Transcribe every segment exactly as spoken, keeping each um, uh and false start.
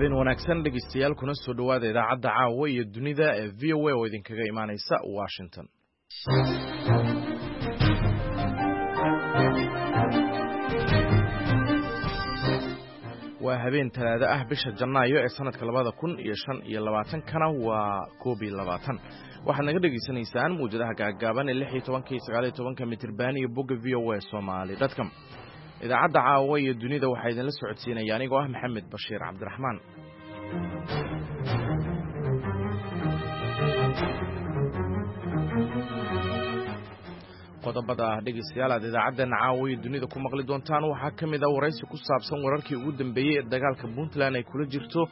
Habeen wanaagsan dhegeystayaal, kuna soo dhowaada idaacadda caawa iyo dunida ee V O A oo idinkaga imaanaysa Washington. Waa habeen talaado ah, bisha Janaayo ee sanadka labada kun iyo shan iyo labaatankana waa koob iyo labaatan. Waxaad naga dhegaysanaysaan mawjadaha gaaggaaban ee lix iyo tobanka iyo sagaal iyo tobanka mitirban iyo bogga V O A Somali dot com. Idaacadda caawa iyo dunida waxaa idinla socodsiinaya anigoo ah Maxamed Bashiir Cabdiraxmaan. Qodobada dhegeystayaal aad idaacaddeena caawa iyo dunida ku maqli doontaan waxaa ka mid ah waraysi ku saabsan wararkii ugu dambeeyey ee dagaalka Puntland ay kula jirto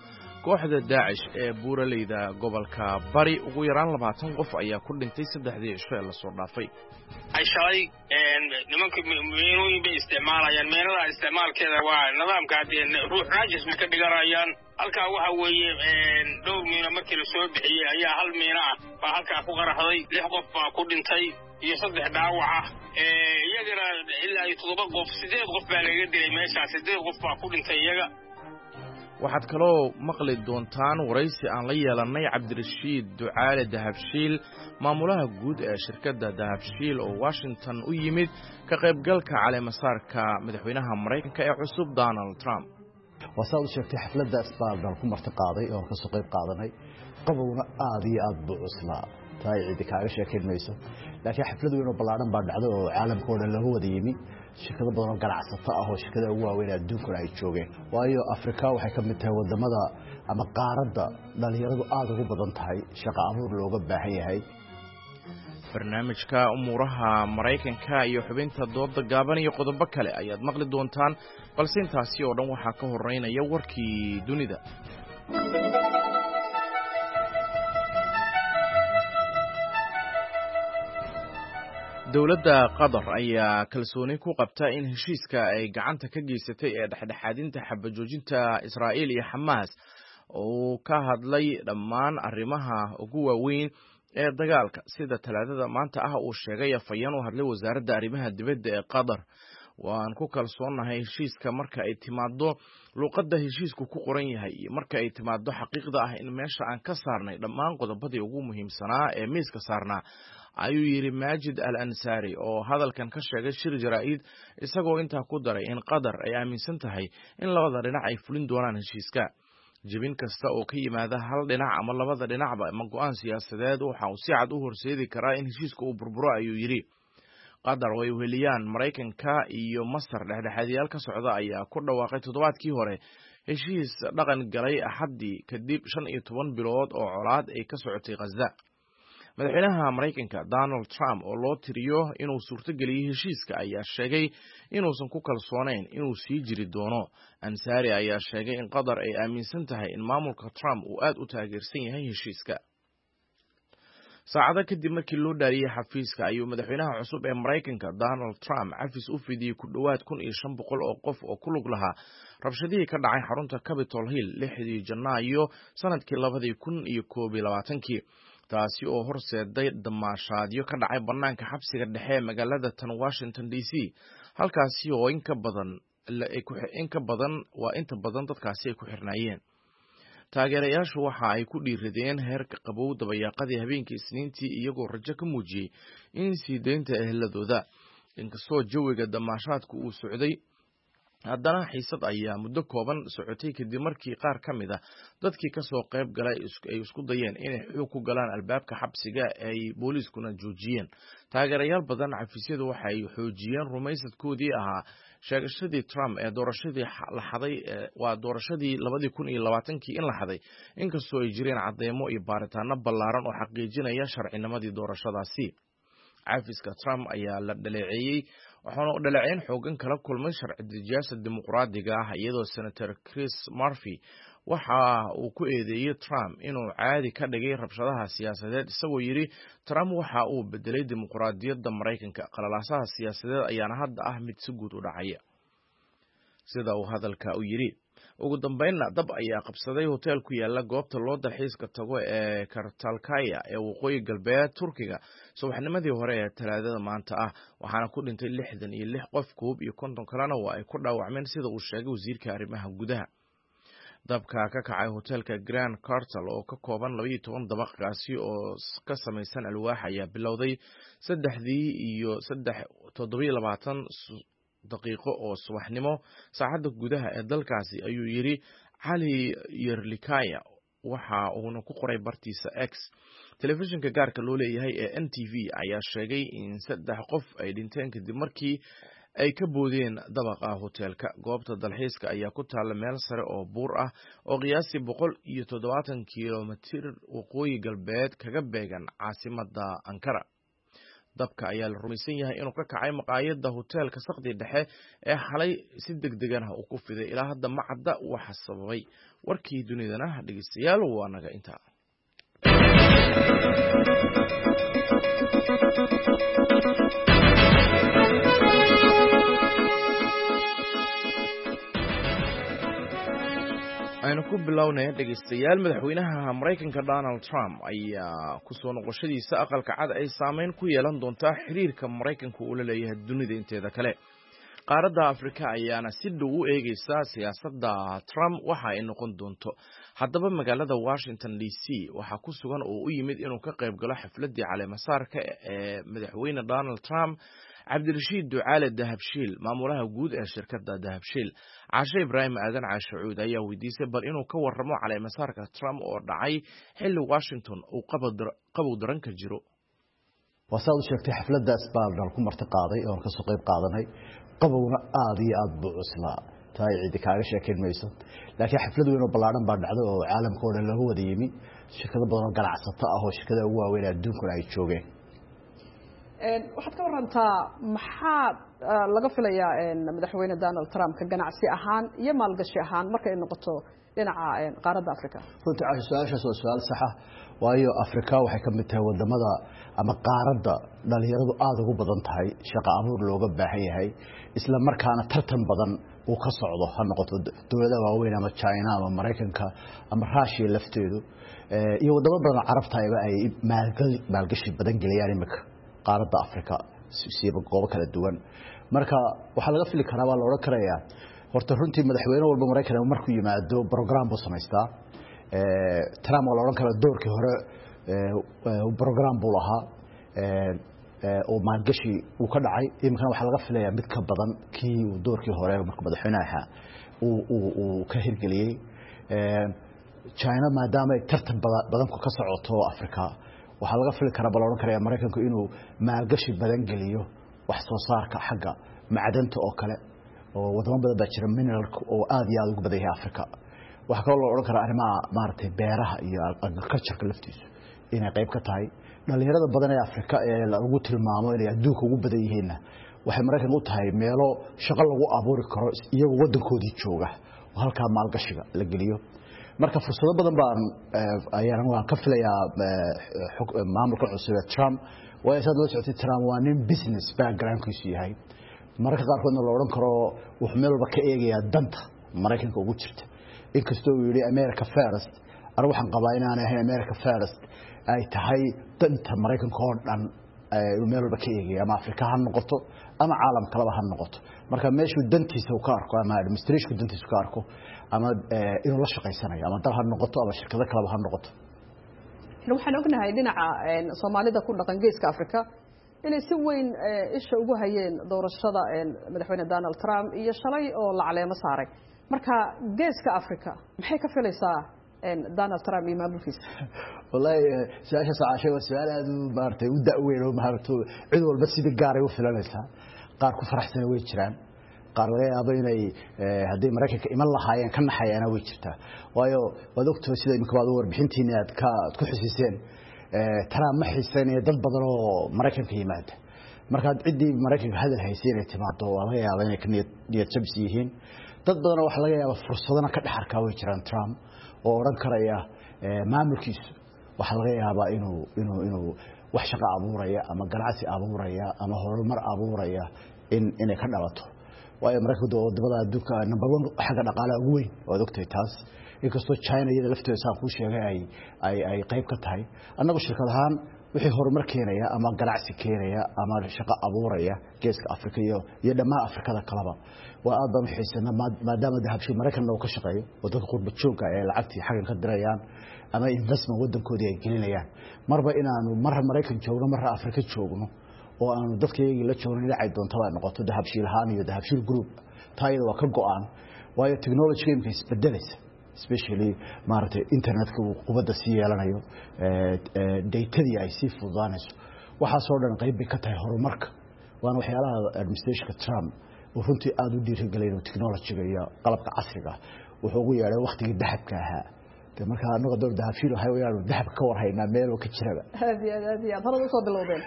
kooxda Daacish ee buuraleyda gobolka Bari. Ugu yaraan labaatan qof ayaa ku dhintay saddexdii cisho ee lasoo dhaafay. Shalay nimanka meenooyin bay isticmaalayaan. Meenada isticmaalkeeda waa nidaamka haddee ruux raajis ma ka dhiganayaan. Halkaa waxa weeye, dhowr miino markii lasoo bixiyey ayaa hal miino ah baa halkaa ku qaraxday. Lix qof baa ku dhintay iyo saddex dhaawac ah. Iyagana ilaa iyo toddoba qof, siddeed qof baa lagaga dilay meeshaa. Siddeed qof baa ku dhintay iyaga. Waxaad kaloo maqli doontaan waraysi aan la yeelannay Cabdirashiid Ducaale Dahabshiil, maamulaha guud ee shirkadda Dahabshiil, oo Washington u yimid ka qaybgalka caleemasaarka madaxweynaha Maraykanka ee cusub Donald Trump. Waa saad u sheegtay, xafladdaas baan ku marti qaaday oon kasoo qayb qaadanay. Qabowna aad iyo aad buu cuslaa, taa ay cidi kaaga sheekayn mayso, laakiin xaflad weyn oo ballaadhan baa dhacday oo caalamka oo dhan looga wada yimi, shirkado badan oo ganacsato ah oo shirkadaha ugu waaweyn adduunkuna ay joogeen, waayo Afrika waxay ka mid tahay wadamada ama qaaradda dhalinyaradu aada ugu badan tahay, shaqo abuur looga baahan yahay. Barnaamijka umuuraha Maraykanka iyo xubinta dooda gaaban iyo qodobo kale ayaad maqli doontaan, balse intaasi oo dhan waxaa ka horeynaya warkii dunida. Dowladda Qatar ayaa kalsooni ku qabta in heshiiska ay gacanta ka geysatay ee dhexdhexaadinta xabajoojinta Israa'iil iyo Xamaas uu ka hadlay dhammaan arrimaha ugu waaweyn ee dagaalka, sida Talaadada maanta ah uu sheegay afhayeen u hadlay wasaaradda arrimaha dibadda ee Qatar. Waan ku kalsoonnahay heshiiska marka ay timaado luuqadda heshiisku ku qoran yahay iyo marka ay timaado xaqiiqda ah in meesha aan ka saarnay dhammaan qodobadii ugu muhiimsanaa ee miiska saarnaa, ayuu yidhi Maajid Al Ansaari oo hadalkan ka sheegay shir jaraa'id, isagoo intaa ku daray in Qatar ay aaminsan tahay in labada dhinac ay fulin doonaan heshiiska. Jebin kasta oo ka yimaada hal dhinac ama labada dhinacba ama go'aan siyaasadeed waxa uu si cad u horseedi karaa in heshiiska uu burburo, ayuu yidhi. Qatar oo ay weheliyaan Maraykanka iyo Masar dhexdhexaadiyaal ka socda ayaa ku dhawaaqay toddobaadkii hore heshiis dhaqan galay Axaddii kadib shan iyo toban bilood oo colaad ay ka socotay Khaza. Madaxweynaha Maraykanka Donald Trump, oo loo tiriyo inuu suurtogeliyey heshiiska, ayaa sheegay inuusan ku kalsoonayn inuu sii jiri doono. Ansaari ayaa sheegay in Qatar ay aaminsan tahay in maamulka Trump uu aad u taageersan yahay heshiiska. Saacado kadib markii loo dhaariyey xafiiska ayuu madaxweynaha cusub ee Maraykanka Donald Trump cafis u fidiyey ku dhowaad kun iyo shan boqol oo qof oo ku lug lahaa rabshadihii ka dhacay xarunta Capitol Hill lixdii Janaayo sanadkii labadii kun iyo koob iyo labaatankii, taasi oo horseeday damaashaadyo ka dhacay bannaanka xabsiga dhexe ee magaalada tan Washington D C, halkaasi oo in ka badan in ka badan waa inta badan dadkaasi ay ku xirnaayeen. Taageerayaashu waxa ay ku dhiiradeen heerka qabow dabayaaqadii habeenkii Isniintii, iyagoo rajo ka muujiyey in sii deynta eheladooda. Inkastoo jawiga damaashaadku uu socday, haddana xiisad ayaa muddo kooban socotay kadib markii qaar ka mid ah dadkii kasoo qayb galay ay isku dayeen inay xoog ku galaan albaabka xabsiga, ay booliiskuna joojiyeen. Taageerayaal badan xafiisyadu waxay xoojiyeen rumaysadkoodii ahaa sheegashadii Trump ee doorashadii la xaday, waa doorashadii labadii kun iyo labaatankii in la xaday, inkastoo ay jireen cadeymo iyo baaritaano ballaaran oo xaqiijinaya sharcinimadii doorashadaasi. Cafiska Trump ayaa la dhaleeceeyey, waxaana dhaleeceyn xoogan kala kulmay sharci dejiyaasha Dimuqraadiga ah, iyadoo Senator Chris Murphy waxa uu ku eedeeyey Trump inuu caadi ka dhigay rabshadaha siyaasadeed, isagoo yidhi Trump waxa uu bedelay dimuqraadiyadda Maraykanka, qalalaasaha siyaasadeed ayaana hadda ah mid si guud u dhacaya, sida uu hadalka u yidhi. Ugu dambeynna, dab ayaa qabsaday hotel ku yaala goobta loo dalxiiska tago ee Kartalkaya ee waqooyi galbeed Turkiga subaxnimadii hore ee Talaadada maanta ah, waxaana ku dhintay lixdan iyo lix qof, koob iyo konton kalena waa ay ku dhaawacmeen, sida uu sheegay wasiirka arrimaha gudaha. Dabka ka kacay hoteelka Grand Kartal oo ka kooban labaiyo toban dabaq kaasi oo ka samaysan alwaax ayaa bilowday saddexdii iyo saddex toddobiyo labaatan daqiiqo oo subaxnimo saacadda gudaha ee dalkaasi, ayuu yidhi Cali Yerlikaya, waxa uuna ku qoray bartiisa X. Telefishinka gaarka loo leeyahay ee N T V ayaa sheegay in saddex qof ay dhinteen kadib markii ay ka boodeen dabaqa hoteelka. Goobta dalxiiska ayaa ku taalla meel sare oo buur ah oo qiyaastii boqol iyo toddobaatan kilomitir waqooyi galbeed kaga beegan caasimadda Ankara. Dabka ayaa la rumaysan yahay inuu ka kacay maqaayadda hoteelka saqdi dhexe ee xalay si deg degan ah uu ku fiday. Ilaa hadda ma cadda waxa sababay. Warkii dunidana dhegeystayaal waa naga intaa. Aynu ku bilownay dhegeystayaal, madaxweynaha Maraykanka Donald Trump ayaa kusoo noqoshadiisa aqalka cad ay saameyn ku yeelan doontaa xiriirka Maraykanka uu la leeyahay dunida inteeda kale. Qaaradda Afrika ayaana si dhow u eegeysa siyaasadda Trump waxa ay noqon doonto. Haddaba magaalada Washington D C waxaa ku sugan oo u yimid inuu ka qayb galo xafladdii caleemasaarka ee madaxweyne Donald Trump Cabdirashiid Ducaale Dahabshiil, maamulaha guud ee shirkadda Dahabshiil. Caashe Ibraahim Aadan Caashe Cuud ayaa weydiisay bal inuu ka warramo caleemasaarka Trump oo dhacay xilli Washington uu qabow daran ka jiro. Waa saad u sheegtay, xafladdaas baa nal ku marti qaaday oon kasoo qayb qaadanay. Qabowna aada iyo aada buu cuslaa, taa ay cidi kaaga sheekayn mayso. Laakiin xaflad weyn oo ballaadhan baa dhacday oo caalamka oo dhan laga wada yimi, shirkado badan oo ganacsato ah oo shirkadaha ugu waaweyn adduunkuna ay joogeen. Waxaad ka warantaa maxaa laga filayaa madaxweyne Donald Trump ka ganacsi ahaan iyo maalgashi ahaan marka ay noqoto dhinaca qaaradda Africa? Runtii Caasho, su-aashaas waa su-aal saxa, waayo Afrika waxay ka mid tahay wadamada ama qaaradda dhalinyaradu aada ugu badan tahay, shaqo abuur looga baahan yahay, isla markaana tartan badan uu ka socdo, ha noqoto dowladaha waaweyn ama China ama Maraykanka ama Russia lafteedu iyo wadamo badan oo carabtayba ay maalgashi badan geliyaan imika qaaradda Afrika siiba goobo kala duwan. Marka waxaa laga fili karaa, waa la odhan karayaa, horta runtii madaxweyne walba Maraykan markuu yimaado program buu samaystaa. Trump waa la odhan karaa doorkii hore program buu lahaa oo maalgashi uu ka dhacay. Iminkana waxaa laga filayaa mid ka badan kii uu doorkii hore markuu madaxweynaha ahaa uu ka hirgeliyey. China maadaama ay tartan badanku ka socoto Africa, waxaa laga fili karaa, ba la odhan karaya, Maraykanku inuu maalgashi badan geliyo wax soo saarka xagga macdanta oo kale, oo wadamo badan baa jira mineralka oo aada iyo aada ugu badan yahay Africa. Waxaa kaloo loo odhan karaa arrimaha maaragtay beeraha iyo agricultureka laftiisu inay qayb ka tahay. Dhalinyarada badan ee Afrika ee lagu tilmaamo inay adduunka ugu badan yihiinna waxay Maraykanka u tahay meelo shaqo lagu abuuri karo iyagoo waddankoodii jooga oo halkaa maalgashiga la geliyo. Marka fursado badan baan ayaan waan ka filayaa maamulka cusub ee Trump, waayo saad la socotay Trump waa nin business backgroundkiisu yahay, mararka qaarkoodna la odhan karo wuxuu meel walba ka eegayaa danta Maraykanka ugu jirta. Inkastoo uu yidhi America first, anigu waxaan qabaa inaanay ahayn America first, ay tahay danta Maraykanka oo dhan inuu meel walba ka eegaya, ama Afrika ha noqoto ama caalam kaleba ha noqoto. Marka meeshuu dantiisa uu ka arko ama administrationku dantiisa ka arko ama inuu la shaqaysanayo, ama dal ha noqoto ama shirkado kaleba ha noqoto. Waxaan ognahay dhinaca Soomaalida ku dhaqan geeska Africa inay si weyn isha ugu hayeen doorashada madaxweyne Donald Trump iyo shalay oo la caleemo saaray. Marka geeska Africa maxay ka filaysaa Donald Trump iyo maamulkiisa? Wallahi su-aashaas Caashay waa su-aal aada u maaragtay u da-weyn oo maaragtay cid walba sidii gaaray u filanaysaa. Qaar ku faraxsana way jiraan, qaar laga yaabo inay hadday Maraykanka iman lahaayeen ka naxayaana way jirtaa, waayo waad ogtahay sida iminka baad warbixintiina aad ka aad ku xusiseen, Trump ma xiiseynaya dad badan oo Maraykanka yimaada. Marka ciddii Maraykanka hadal haysay inay timaado waa laga yaabaa inay ka niyad niyad jabis yihiin. Dad badan waxaa laga yaabaa fursadana ka dhex arkaa way jiraan Trump oo odhan karaya maamulkiisu waxaa laga yaabaa inuu inuu inuu wax shaqo abuuraya ama ganacsi abuuraya ama horumar abuuraya in inay ka dhalato, waayo Maraykanku wadamada adduunka number one xagga dhaqaalaha ugu weyn, waad ogtahay taas. Inkastoo China iyada lafteeda saan kuu sheegay ay ay ay qayb ka tahay. Annagu shirkad ahaan Wixii horumar keenaya ama ganacsi keenaya ama shaqo abuuraya geeska Afrika iyo iyo dhammaan Afrikada kaleba waa aad baan u xiisanaa, maadaama Dahabshiil Maraykanna uu ka shaqeeyo oo dadka qurba joogga ay lacagtii xaggan ka dirayaan ama investment waddankoodii ay gelinayaan. Marba inaanu marra Maraykan joogno, marra Afrika joogno oo aanu dadka iyagii la joogno dhinacay doontaba ay noqoto Dahabshiil ahaan iyo Dahabshiil Group, taa iyada waa ka go'aan. Waayo technology imika isbedelaysa, especially maaragtay internetka uu qubadda sii yeelanayo, datadii ay sii fududaanayso, waxaasoo dhan qayb bay ka tahay horumarka. Waana waxyaalaha administrationka Trump uu runtii aada u dhiirigelay inuu technologyga iyo qalabka casriga wuxuu ugu yeedhay waktigii dahabka ahaa. De markaa anaga door Dahabshiil waxa weeyaan dahabka ka warhaynaa meel oo ka jiraba. Aad iyo aad, aad iyo aad horada usoo bilowdeen.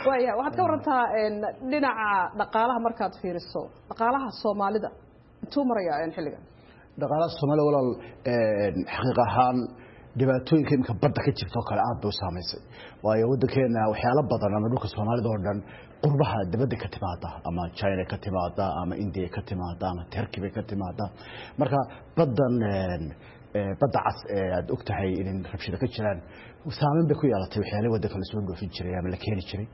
Waaya, waxaad ka warantaa dhinaca dhaqaalaha. Markaad fiiriso dhaqaalaha Soomaalida, intuu marayaa xilligan? Dhaqaalaha Soomaalida, walaal, xaqiiq ahaan dhibaatooyinka imika badda ka jirta oo kale aad bay u saamaysay. Waayo waddankeena waxyaalo badan ama dhulka Soomaalida oo dhan qurbaha dibadda ka timaada, ama China ka timaada ama India ka timaada ama Turkey bay ka timaada. Marka baddan, badda cas ee aad og tahay in rabshado ka jiraan, saameyn bay ku yeelatay waxyaalihii waddanka lasoo dhoofin jiray ama la keeni jiray.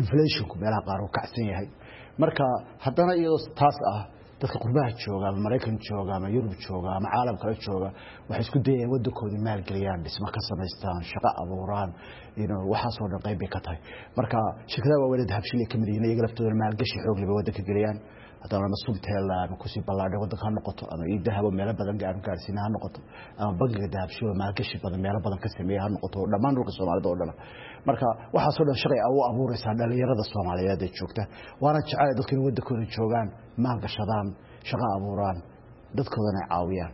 Inflationku meelaha qaar uu kacsan yahay. Marka haddana iyadoo taas ah, dadka qurbaha jooga, ama Maraykan jooga ama Yurub jooga ama caalam kale jooga, waxay isku dayayaan waddankoodii maalgeliyaan, dhismo ka samaystaan, shaqo abuuraan. Waxaasoo dhan qayb bay ka tahay. Marka shirkadaha waaweyn ee Dahabshiil ay ka mid yihiin, iyaga laftooda maalgashi xoog leh bay waddanka geliyaan. Haddana ama Somtel ama kusii ballaadhay waddanka ha noqoto, ama eDahab meelo badan gaanu gaarsiina ha noqoto, ama bangiga Dahabshiil maalgashi badan meelo badan ka sameeya ha noqoto, dhammaan dhulka Soomaalida oo dhan. Marka waxaasoo dhan shaqay u abuuraysaa dhalinyarada Soomaaliyeed ee joogta. Waana jecel dadka in waddankooda joogaan, maalgashadaan, shaqo abuuraan, dadkoodana ay caawiyaan.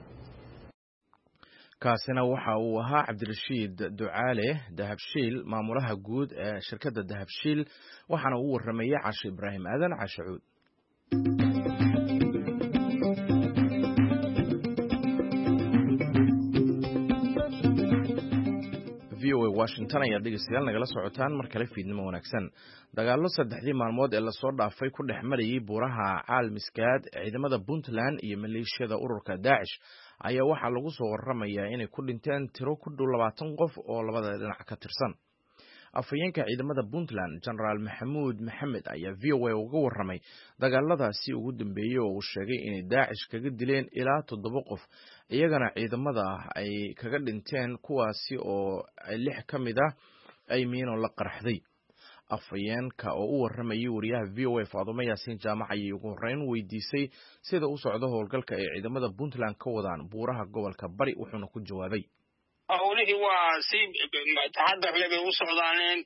Kaasina waxa uu ahaa Cabdirashiid Ducaale Dahabshiil, maamulaha guud ee shirkadda Dahabshiil, waxaana uu warramayay Cashe Ibraahim Aadan Cashe Cuud. V O A Washington ayaad dhegeystayaal nagala socotaan. Mar kale fiidnimo wanaagsan. Dagaallo saddexdii maalmood ee lasoo dhaafay ku dhex marayay buuraha Caalmiskaad ciidamada Puntland iyo maleeshiyada ururka Daacish ayaa waxaa lagu soo waramayaa inay ku dhinteen tiro ku dhow labaatan qof oo labada dhinac ka tirsan. Afhayeenka ciidamada Puntland, Jenaraal Maxamuud Maxamed, ayaa V O A uga warramay dagaaladaasi ugu dambeeyey oo uu sheegay inay Daacish kaga dileen ilaa toddoba qof, iyagana ciidamada ah ay kaga dhinteen, kuwaasi oo lix ka mid ah ay miino la qarxday. Afhayeenka oo u warramayay wariyaha V O A Faadumo Yaasiin Jaamac ayay ugu horreyn weydiisay sida u socdo howlgalka ay ciidamada Puntland ka wadaan buuraha gobolka Bari, wuxuuna ku jawaabay: Howlihii waa si taxadar leh bay u socdaaneen.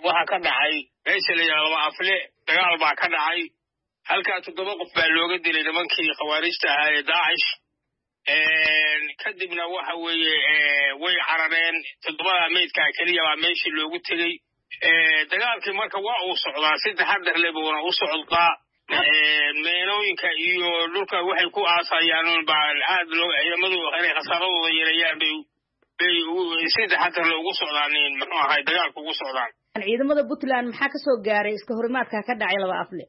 Waxaa ka dhacay meesha la yidhaha Laba Afle dagaal baa ka dhacay. Halkaa toddoba qof baa looga dilay nimankii khawaarijta ahaa ee Daacish. Kadibna waxa weeye way carareen. Toddobada meydkaa keliya baa meeshii loogu tegey. Dagaalkii marka waa uu socdaa, si taxadar leh buuna u socdaa. Meenooyinka iyo dhulka waxay ku aasayaan baa aad loo ciidamadu inay khasaaradooda yareeyaan bay bay si taxadar leh ugu socdaan, muxuu ahay, dagaalka ugu socdaan. Ciidamada Puntland maxaa ka soo gaaray iska horimaadka ka dhacay Laba Afle?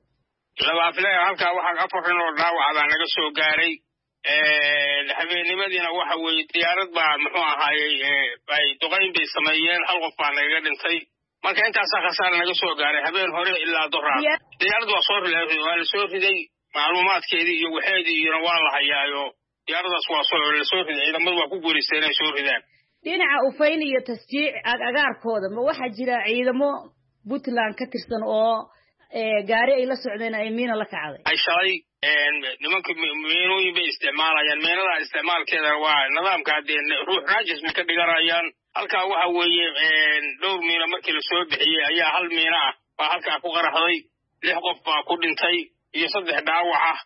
Laba Afle halkaa waxaa afar nin oo dhaawaca baa naga soo gaaray. Habeennimadiina waxa weeye diyaarad baa, muxuu ahaayey, ay duqayn bay sameeyeen, hal qof baa nagaga dhintay. Marka intaasaa khasaara naga soo gaaray habeen hore ilaa doraa. Diyaarad waa soo waa la soo riday, macluumaadkeedii iyo waxeedii iyona waa la hayaayo. Diyaaradaas waa soo la soo riday, ciidamadu waa ku guulaysteen inay soo ridaan. Dhinaca Ufayn iyo Tasjiic agagaarkooda ma waxaa jira ciidamo Puntland ka tirsan oo gaari ay la socdeen ay miina la kacday? Ay shalay nimanka miinooyin bay isticmaalayaan. Miinada isticmaalkeeda waa nidaamka haddee ruux raajis bay ka dhiganayaan. Halkaa waxa weeye dhowr miino markii lasoo bixiyey ayaa hal miino ah baa halkaa ku qaraxday. Lix qof baa ku dhintay iyo saddex dhaawac ah.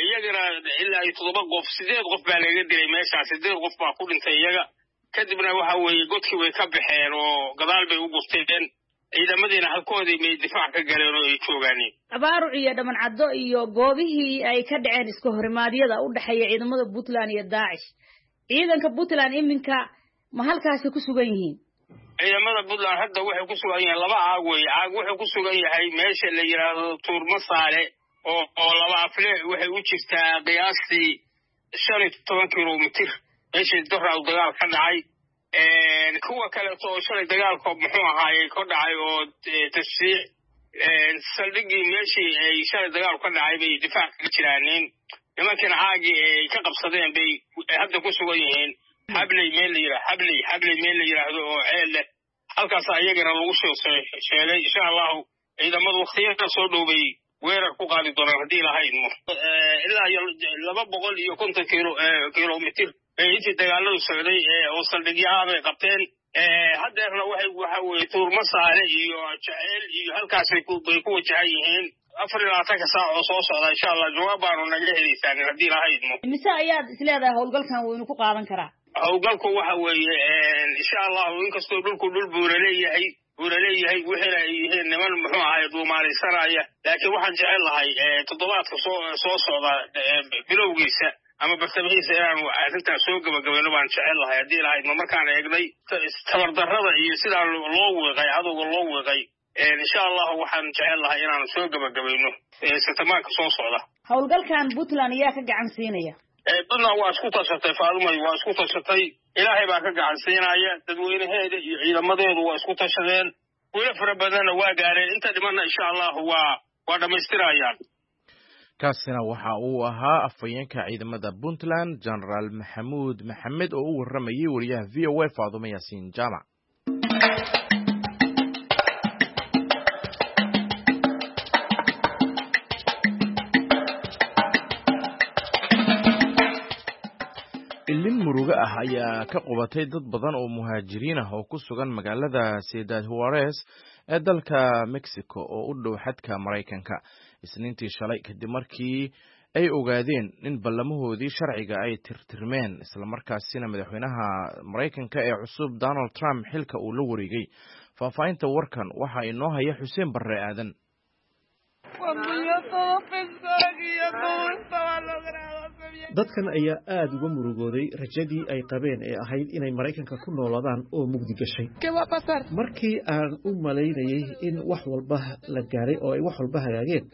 Iyagana ilaa iyo toddoba qof, sideed qof baa lagaga dilay meeshaas, sideed qof baa ku dhintay iyaga. Kadibna waxa weeye godkii way ka baxeen oo gadaal bay u gurteen. Ciidamadiina halkoodii may difaac ka galeen oo ay joogaaneen. Abaaruc iyo Dhamancaddo iyo goobihii ay ka dhaceen iska horimaadyada u dhexeeya ciidamada Puntland iyo Daacish, ciidanka Puntland iminka ma halkaasi ku sugan yihiin? Ciidamada Puntland hadda waxay ku sugan yihiin laba caag weeye. Caag wuxuu ku sugan yahay meesha la yidhaahdo Tuurmasaale oo oo Laba Afle waxay u jirtaa qiyaastii shan iyo toban kilomitir, meeshii doraw dagaal ka dhacay. Kuwa kaleeto oo shalay dagaalko muxuu ahaayey ka dhacay oo tashriic saldhiggii meeshii ay shalay dagaalku ka dhacay bay difaac kaga jiraaniin. Nimankiina caagii ay ka qabsadeen bay hadda ku sugan yihiin. Xabley meel la yidhah Xabley Xabley meel la yidhaahdo oo ceel leh, halkaas iyagana lagu soo sheegay. Insha allahu ciidamadu waktiyada soo dhow bay weerar ku qaadi doonaan haddii lahaydmo. Ilaa iyo laba boqol iyo konton kilo kilomitir bay intii dagaaladu socday oo saldhigyo ah bay qabteen. Haddeerna waxay waxa weye Tuurmasaale iyo Jaceyl iyo halkaasay bay ku wajahan yihiin. Afar iyo labaatanka saac oo soo socda insha allah jawaab baanu naga helaysaan haddii lahaydmo. Mise ayaad isleedahay howlgalkan waynu ku qaadan karaa? Howlgalku waxa weeye insha allahu inkastoo dhulku dhul buura leeyahay buura leeyahay wixiina ay yihiin niman muxuu ahay duumaalaysanaya, laakiin waxaan jecel lahay toddobaadka soo soo socda bilowgiisa ama bartamihiisa inaanu arrintaas soo gebagabayno baan jecel lahay haddii lahaydmo. Markaan eegnay tabardarrada iyo sidaa loo wiiqay cadowga loo wiiqay, insha allahu waxaan jecel lahay inaanu soo gebagabayno sitamaanka soo socda. Howlgalkan Puntland ayaa ka gacan siinaya? Puntland waa isku tashatay, Faadumay, waa isku tashatay. Ilaahay baa ka gacan siinaya, dadweynaheeda iyo ciidamadeedu waa isku tashadeen, wilo fara badanna waa gaareen, inta dhimanna insha allahu waa waa dhammaystirayaan. Kaasina waxa uu ahaa afhayeenka ciidamada Puntland, Genaraal Maxamuud Maxamed, oo u warramayay wariyaha V O A Faadumo Yaasiin Jaamac. Ilin murugo ah ayaa ka qubatay dad badan oo muhaajiriin ah oo ku sugan magaalada Ciudad Juarez ee dalka Mexico oo u dhow xadka Maraykanka Isniintii shalay, kadib markii ay ogaadeen in ballamahoodii sharciga ay tirtirmeen, islamarkaasina madaxweynaha Maraykanka ee cusub Donald Trump xilka uu la wareegay. Faahfaahinta warkan waxa inoo haya Xuseen Barre Aadan. Dadkan ayaa aada uga murugooday rajadii ay qabeen ee ahayd inay Maraykanka ku noolaadaan oo mugdi gashay. Markii aan u malaynayay in wax walba la gaaray oo ay wax walba hagaageen,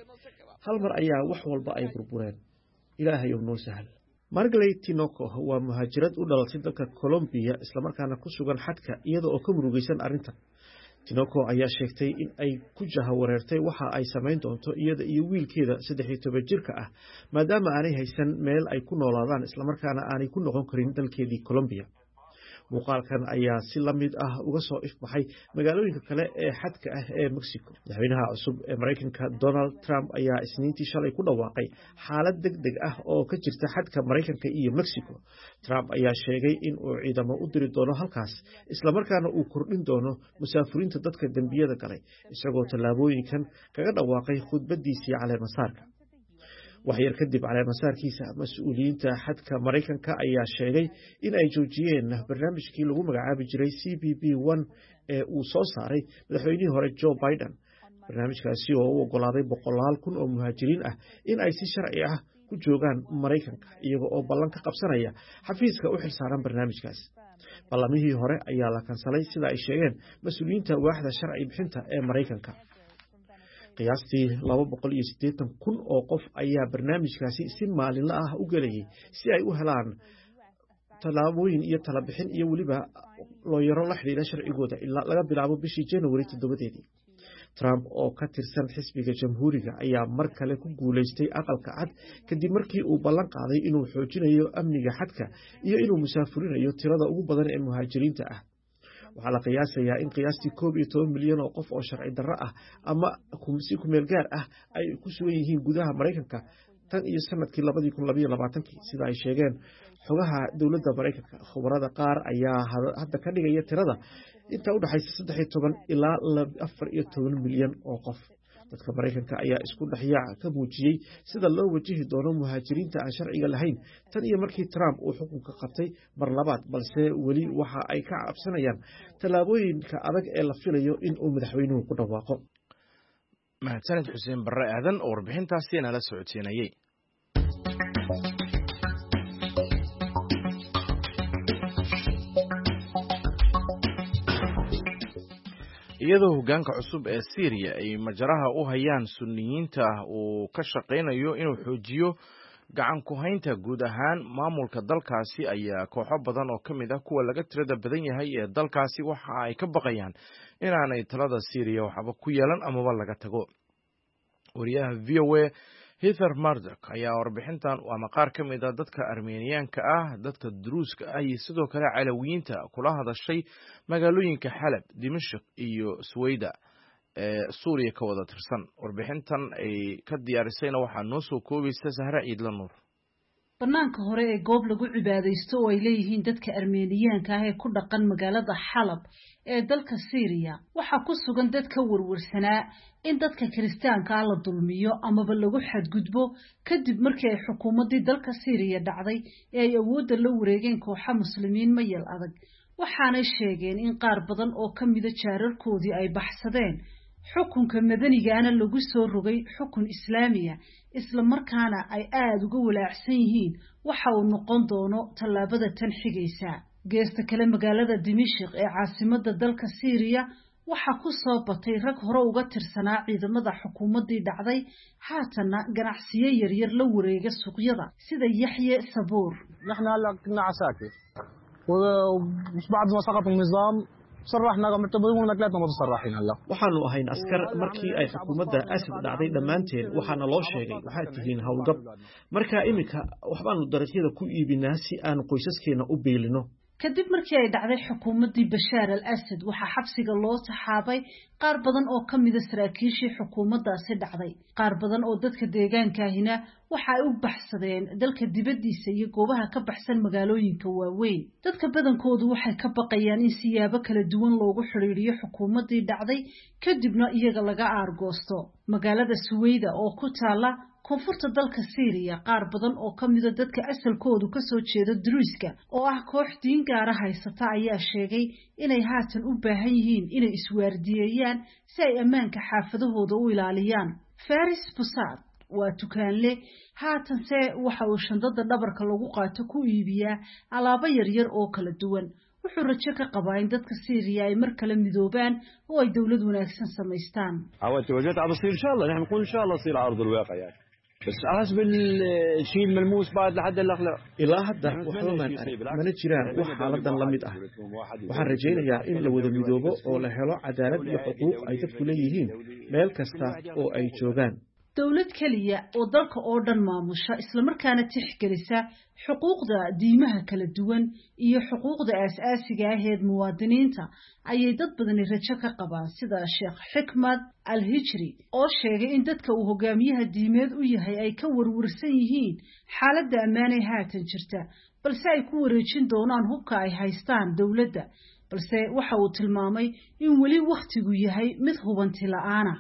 hal mar ayaa wax walba ay burbureen. Ilaahay ow noo sahal. Margley Tinoco waa muhaajirad u dhalatay dalka Colombiya, islamarkaana ku sugan xadka iyada oo ka murugaysan arrintan. Tinoco ayaa sheegtay in ay ku jahawareertay waxa ay samayn doonto iyada iyo wiilkeeda saddex iyo toban jirka ah, maadaama aanay haysan meel ay ku noolaadaan islamarkaana aanay ku noqon karin dalkeedii Colombiya. Muuqaalkan ayaa si la mid ah uga soo ifbaxay magaalooyinka kale ee xadka ah ee Mexico. Madaxweynaha cusub ee Maraykanka Donald Trump ayaa Isniintii shalay ku dhawaaqay xaalad deg deg ah oo ka jirta xadka Maraykanka iyo Mexico. Trump ayaa sheegay in uu ciidamo u diri doono halkaas, islamarkaana uu kordhin doono musaafuriinta dadka dembiyada galay, isagoo tallaabooyinkan kaga dhawaaqay khudbadiisii caleemasaarka. Waxyar kadib caleemasaarkiisa, mas-uuliyiinta xadka Maraykanka ayaa sheegay in ay joojiyeen barnaamijkii lagu magacaabi jiray C B P one ee uu soo saaray madaxweynihii hore Joe Biden, barnaamijkaasi oo u ogolaaday boqolaal kun oo muhaajiriin ah in ay si sharci ah ku joogaan Maraykanka iyaga oo ballan ka qabsanaya xafiiska u xilsaaran barnaamijkaas. Ballamihii hore ayaa la kansalay, sida ay sheegeen mas-uuliyiinta waaxda sharci bixinta ee Maraykanka. Qiyaastii laba boqol iyo siddeetan kun oo qof ayaa barnaamijkaasi si maalinla ah u gelayay si ay u helaan tallaabooyin iyo talabixin iyo weliba looyaro la xidhiidha sharcigooda ilaa laga bilaabo bishii January toddobadeedii. Trump oo ka tirsan xisbiga Jamhuuriga ayaa mar kale ku guulaystay Aqalka Cad kadib markii uu ballan qaaday inuu xoojinayo amniga xadka iyo inuu musaafurinayo tirada ugu badan ee muhaajiriinta ah. Waxaa la qiyaasayaa in qiyaastii koob iyo toban milyan oo qof oo sharci darro ah ama si kumeel gaar ah ay ku sugan yihiin gudaha Maraykanka tan iyo sanadkii labadii kun labayo labaatankii, sida ay sheegeen xogaha dowladda Maraykanka. Khubarada qaar ayaa hadda ka dhigaya tirada inta u dhexaysa saddex iyo toban ilaa afar iyo toban milyan oo qof. Dadka Maraykanka ayaa isku dhexyaac ka muujiyey sida loo wajihi doono muhaajiriinta aan sharciga lahayn tan iyo markii Trump uu xukunka qabtay mar labaad, balse weli waxa ay ka cabsanayaan tallaabooyinka adag ee la filayo in uu madaxweynuhu ku dhawaaqo. Mahadsanid Xuseen Barre Aadan oo warbixintaasi nala socodsiinayey. Iyadoo hoggaanka cusub ee Siiriya ay majaraha u hayaan Sunniyiinta uu ka shaqaynayo inuu xoojiyo Gacan ku haynta guud ahaan maamulka dalkaasi ayaa kooxo badan oo ka mid ah kuwa laga tirada badan yahay ee dalkaasi waxa ay ka baqayaan inaanay talada Siiriya waxba ku yeelan amaba laga tago. Wariyaha V O A Heather Murdock ayaa warbixintan ama qaar ka mid ah dadka Armeniyaanka ah, dadka Druuska ah iyo sidoo kale Calawiyiinta kula hadashay magaalooyinka Xalab, Dimashq iyo Suweyda ee Suuriya ka wada tirsan. Warbixintan ay ka diyaarisayna waxaa noo soo koobaysa Sahra Ciidla Nuur. Bannaanka hore ee goob lagu cibaadaysto oo ay leeyihiin dadka Armeeniyaanka ah ee ku dhaqan magaalada Xalab ee dalka Siiriya waxaa ku sugan dad ka warwarsanaa in dadka Kiristaanka ah la dulmiyo amaba lagu xadgudbo kadib markii ay xukuumaddii dalka Siiriya dhacday ee ay awoodda la wareegeen kooxa muslimiin mayal adag. Waxaanay sheegeen in qaar badan oo ka mida jaararkoodii ay baxsadeen, xukunka madanigaana lagu soo rogay xukun islaamiya, isla markaana ay aada uga walaacsan yihiin waxa uu noqon doono tallaabada tan xigaysa. Geesta kale, magaalada Dimashq ee caasimadda dalka Siiriya waxaa ku soo batay rag hore uga tirsanaa ciidamada xukuumaddii dhacday, haatanna ganacsiyo yaryar la wareega suuqyada sida Yaxye Sabuur. نحن هلا كنا عساكر وبعد ما سقط النظام صرحنا معتبرون كلاتنا متصرحين هلا. Waxaanu ahayn askar markii ay xukuumadda Asad dhacday. Dhammaanteen waxaana loo sheegay waxaad tihiin howlgab. Marka iminka waxbaanu dariiqyada ku iibinaa si aanu qoysaskeenna u biilino. Kadib markii ay dhacday xukuumaddii Bashaar al Asad, waxaa xabsiga loo taxaabay qaar badan oo ka mida saraakiishii xukuumaddaasi dhacday. Qaar badan oo dadka deegaankaahina waxa ay u baxsadeen dalka dibaddiisa iyo goobaha ka baxsan magaalooyinka waaweyn. Dadka badankoodu waxay ka baqayaan in siyaabo kala duwan loogu xidhiidhiyo xukuumaddii dhacday, kadibna iyaga laga aargoosto. Magaalada Suweyda oo ku taala koonfurta dalka Siiriya, qaar badan oo ka mida dadka asalkoodu ka soo jeeda Druuska oo ah koox diin gaara haysata ayaa sheegay inay haatan u baahan yihiin inay iswaardiyeeyaan si ay ammaanka xaafadahooda u ilaaliyaan. Faris Busaad waa tukaanle, haatanse waxa uu shandada dhabarka lagu qaato ku iibiyaa alaabo yaryar oo kala duwan. Wuxuu rajo ka qabaa in dadka Siiriya ay mar kale midoobaan oo ay dowlad wanaagsan samaystaan. عوات وجهت عم بصير ان شاء الله، نحن بنقول ان شاء الله يصير على ارض الواقع يعني، بس حسب الشيء الملموس بعد لحد الاخلاق. Ilaa hadda waxba maan arag, mana jiraan wax xaaladan la mid ah. Waxaan rajaynayaa in la wada midoobo oo la helo cadaalad iyo xuquuq ay dadku leeyihiin meel kasta oo ay joogaan. Dowlad keliya oo dalka oo dhan maamusha, islamarkaana tixgelisa xuquuqda diimaha kala duwan iyo xuquuqda aasaasiga aheed muwaadiniinta ayay dad badani rajo ka qabaan, sida Sheekh Xikmad Al Hijri oo sheegay in dadka uu hogaamiyaha diimeed u yahay ay ka warwarsan yihiin xaaladda ammaan ee haatan jirta, balse ay ku wareejin doonaan hubka ay haystaan dowladda. Balse waxa uu tilmaamay in weli wakhtigu yahay mid hubanti la'aana.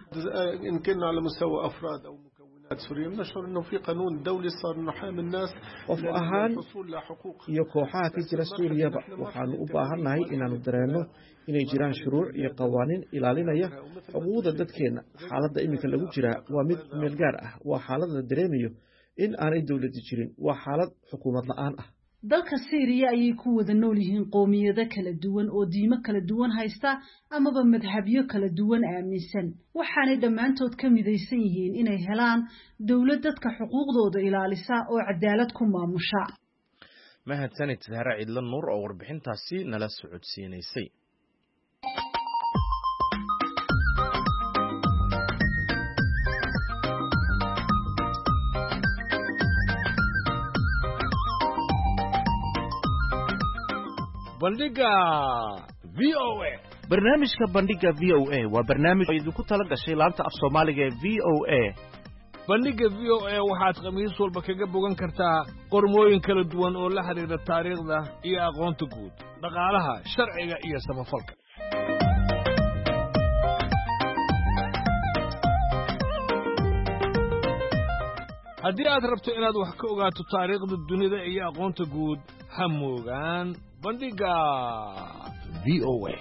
إن كنا على مستوى أفراد أو مكونات سورية بنشعر أنه في قانون دولي صار إنه حامي الناس Qof ahaan للحصول لحقوق iyo kooxaha ka jira Suuriyaba waxaanu u baahannahay inaannu dareenno inay jiraan shuruuc iyo qawaaniin ilaalinaya xuquuqda dadkeenna. Xaaladda iminka lagu jiraa waa mid meel gaar ah, waa xaalad la dareemayo in aanay dowladi jirin, waa xaalad xukuumad la'aan ah. Dalka Siiriya ayay ku wada nool yihiin qoomiyado kala duwan oo diimo kala duwan haysta amaba madhabyo kala duwan aaminsan, waxaanay dhammaantood ka midaysan yihiin inay helaan dowlad dadka xuquuqdooda ilaalisa oo cadaalad ku maamusha. Mahadsanid Sahra Ciidla Nuur oo warbixintaasi nala socodsiinaysay. Bandhiga V O A. Barnaamijka Bandhiga V O A waa barnaamij oo idinku tala gashay laanta af Soomaaliga ee V O A. Bandhiga V O A waxaad khamiis walba kaga bogan kartaa qormooyin kala duwan oo la xidhiidha taariikhda iyo aqoonta guud, dhaqaalaha, sharciga iyo samafalka. Haddii aad rabto inaad wax ka ogaato taariikhda dunida iyo aqoonta guud, ha moogaan Bandhiga V O A.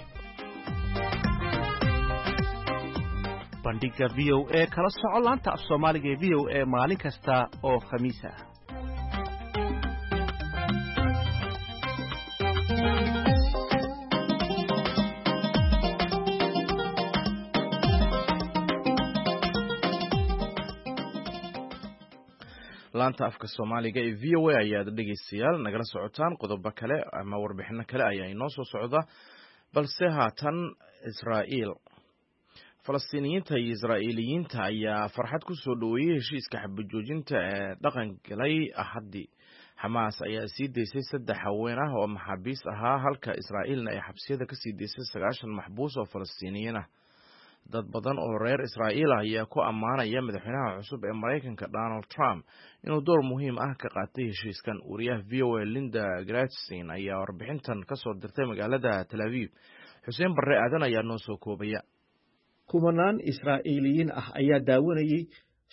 Bandhiga V O A kala soco laanta af Soomaaliga ee V O A maalin kasta oo khamiis ah. Laanta afka Soomaaliga ee V O A ayaad dhegeystayaal nagala socotaan. Qodobo kale ama warbixino kale ayaa inoo soo socda, balse haatan Israa'iil. Falastiiniyiinta iyo Israa'iiliyiinta ayaa farxad ku soo dhoweeyey heshiiska xabajoojinta ee dhaqan galay Axaddii. Xamaas ayaa sii daysay saddex haween ah oo maxaabiis ahaa, halka Israa'iilna ay xabsiyada ka sii daysay sagaashan maxbuus oo Falastiiniyiin ah. Dad badan oo reer Israa'iil ah ayaa ku ammaanaya madaxweynaha cusub ee Maraykanka Donald Trump inuu door muhiim ah ka qaatay heshiiskan. Wariyaha V O A Linda Gradstein ayaa warbixintan ka soo dirtay magaalada Tel Aviv. Xuseen Barre Aadan ayaa noo soo koobaya. Kumanaan Israa'iiliyiin ah ayaa daawanayey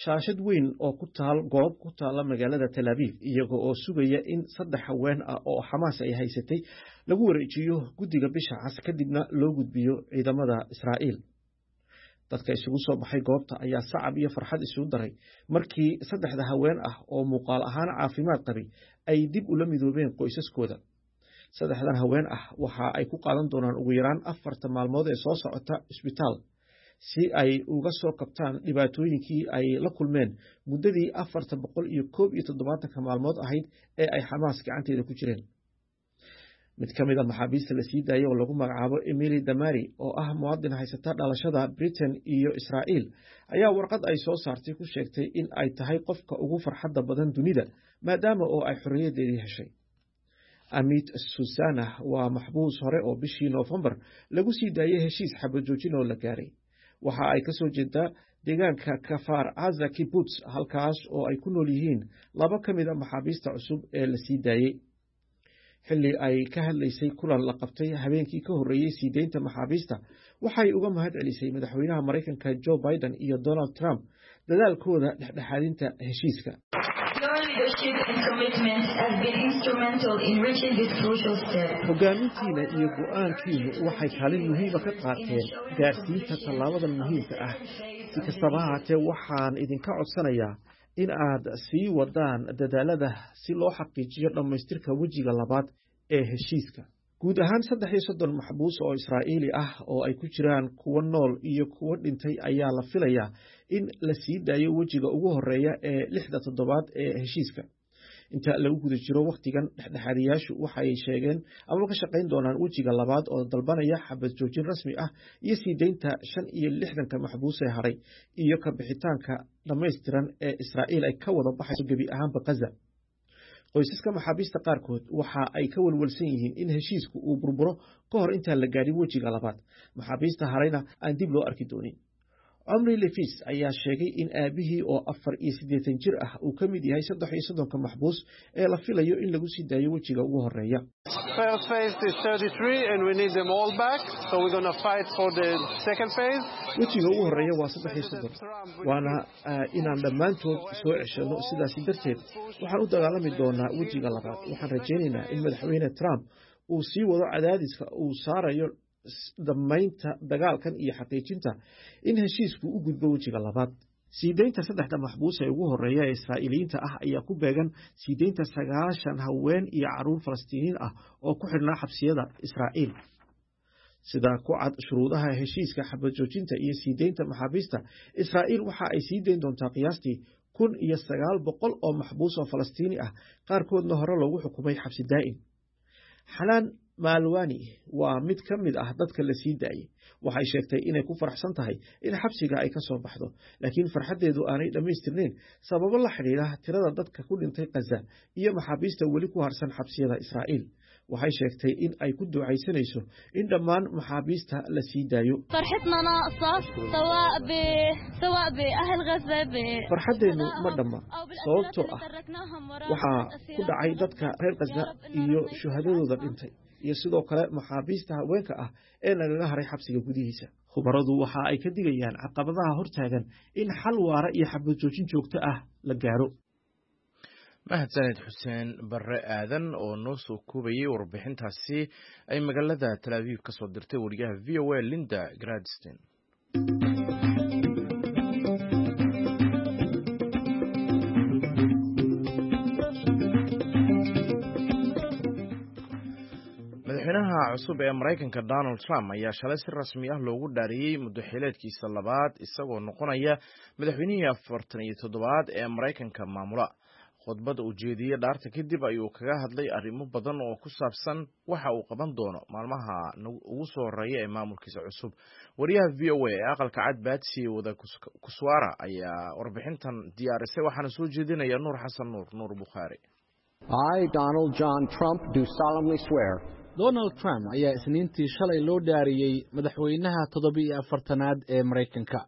shaashad weyn oo ku taal goob ku taala magaalada Tel Aviv, iyaga oo sugaya in saddex haween ah oo Xamaas ay haysatay lagu wareejiyo guddiga Bisha Cas, kadibna loo gudbiyo ciidamada Israa'iil. Dadka isugu soo baxay goobta ayaa sacab iyo farxad isugu daray markii saddexda haween ah oo muuqaal ahaan caafimaad qabay ay dib ula midoobeen qoysaskooda. Saddexdan haween ah waxa ay ku qaadan doonaan ugu yaraan afarta maalmood ee soo socota isbitaal si ay uga soo kabtaan dhibaatooyinkii ay la kulmeen muddadii afarta boqol iyo koob iyo toddobaatanka maalmood ahayd ee ay Xamaas gacanteeda ku jireen. Mid ka mid a maxaabiista la sii daayay oo lagu magacaabo Emily Damari, oo ah muwaadin haysata dhalashada Britain iyo Israa'iil, ayaa warqad ay soo saartay ku sheegtay in ay tahay qofka ugu farxadda badan dunida, maadaama oo ay xorriyaddeedii heshay. Amit Susana waa maxbuus hore oo bishii Noofembar lagu sii daayay heshiis xabajoojin oo la gaaray. Waxa ay ka soo jeedaa deegaanka Kafar Aza Kibbutz, halkaas oo ay ku nool yihiin laba ka mid a maxaabiista cusub ee la sii daayey. Xilli ay ka hadlaysay kulan la qabtay habeenkii ka horreeyey sii deynta maxaabiista, waxay uga mahad celisay madaxweynaha Maraykanka Joe Biden iyo Donald Trump dadaalkooda dhexdhexaadinta heshiiska. Hogaamintiina iyo go'aankiinu waxay kaalin muhiima ka qaateen gaarsiinta tallaabadan muhiimka ah. Si kastaba ha haatee, waxaan idinka codsanayaa in aad sii wadaan dadaalada si loo xaqiijiyo dhammaystirka wejiga labaad ee heshiiska. Guud ahaan saddex iyo soddon maxbuus oo Israa'iili ah oo ay ku jiraan kuwo nool iyo kuwo dhintay ayaa la filayaa in la sii daayo wejiga ugu horeeya ee lixda toddobaad ee heshiiska. Inta lagu guda jiro wakhtigan, dhexdhexaadiyaashu waxay sheegeen ama ka shaqayn doonaan wejiga labaad oo dalbanaya xabad joojin rasmi ah iyo sii deynta shan iyo lixdanka maxbuus ee haray iyo ka bixitaanka dhammaystiran ee Israa'iil ay ka wada baxayso gebi ahaanba Gaza. Qoysaska maxaabiista qaarkood waxa ay ka walwalsan yihiin in heshiisku uu burburo ka hor intaan la gaadhin wejiga labaad, maxaabiista harayna aan dib loo arki doonin. Omri Lefis ayaa sheegay in aabihii oo afar iyo siddeetan jir ah uu ka mid yahay saddex iyo soddonka maxbuus ee la filayo in lagu sii daayo wejiga ugu horeeya. Wejiga ugu horeeya waa saddex iyo soddon, waana inaan dhammaantood soo ceshano. Sidaasi darteed waxaan u dagaalami doonaa wejiga labaad. Waxaan rajaynaynaa in madaxweyne Trump uu sii wado cadaadiska uu saarayo dhammaynta dagaalkan iyo xaqiijinta in heshiisku u gudbo wejiga labaad. Sii deynta saddexda maxbuus ee ugu horeeya ee Israa'iiliyiinta ah ayaa ku beegan sii deynta sagaashan haween iyo carruur Falastiiniyiin ah oo ku xidhnaa xabsiyada Israa'iil. Sida ku cad shuruudaha heshiiska xabad joojinta iyo sii deynta maxaabiista, Israa'iil waxa ay sii deyn doontaa qiyaastii kun iyo sagaal boqol oo maxbuus oo Falastiini ah, qaarkoodna hore loogu xukumay xabsi daa'im. Xanaan Maalwani waa mid ka mid ah dadka la sii daayey. Waxay sheegtay inay ku faraxsan tahay in xabsiga ay ka soo baxdo, laakiin farxaddeedu aanay dhammaystirnayn sababo la xidhiidha tirada dadka ku dhintay Gaza iyo maxaabiista weli ku harsan xabsiyada Israa'iil. Waxay sheegtay in ay ku ducaysanayso in dhammaan maxaabiista la sii daayo. Farxaddeennu ma dhamma, sababtoo ah waxaa ku dhacay dadka reer Gaza iyo shuhadadooda dhintay, iyo sidoo kale maxaabiista haweenka ah ee nagaga haray xabsiga gudihiisa. Khubaradu waxa ay ka digayaan caqabadaha hortaagan in xal waara iyo xabad joojin joogto ah la gaaro. Mahadsaned Xuseen Barre Aadan oo noo soo koobayay warbixintaasi ay magaalada Tel Aviv ka soo dirtay wariyaha V O A Linda Gradstein. Madaxweynaha cusub ee Maraykanka Donald Trump ayaa shalay si rasmi ah loogu dhaariyey muddo xileedkiisa labaad, isagoo noqonaya madaxweynihii afartan iyo toddobaad ee Maraykanka maamula. Khudbad uu jeediyey dhaarta kadib ayuu kaga hadlay arrimo badan oo ku saabsan waxa uu qaban doono maalmaha ugu soo horeeya ee maamulkiisa cusub. Wariyaha V O A ee Aqalka Cad, Batsy Widakuswara, ayaa warbixintan diyaarisay, waxaana soo jeedinaya Nuur Xasan Nuur, Nuur Bukhaari. I, Donald John Trump, do solemnly swear. Donald Trump ayaa Isniintii shalay loo dhaariyey madaxweynaha toddoba-iyo afartanaad ee Maraykanka.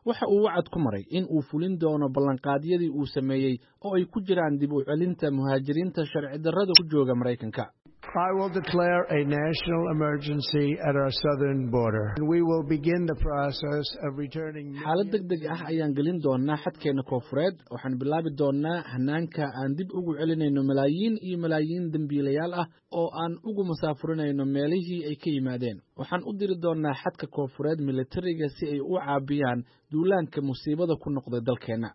Waxa uu wacad ku maray in uu fulin doono ballanqaadyadii uu sameeyey, oo ay ku jiraan dib u celinta muhaajiriinta sharci darrada ku jooga Maraykanka. I will declare a national emergency at our southern border. We will begin the process of returning. Xaalad deg deg ah ayaan gelin doonaa xadkeena koonfureed. Waxaan bilaabi doonaa hanaanka aan dib ugu celinayno malaayiin iyo malaayiin dembiilayaal ah oo aan ugu masaafurinayno meelihii ay ka yimaadeen. Waxaan u diri doonaa xadka koonfureed militariga si ay u caabiyaan duulaanka musiibada ku noqday dalkeenna.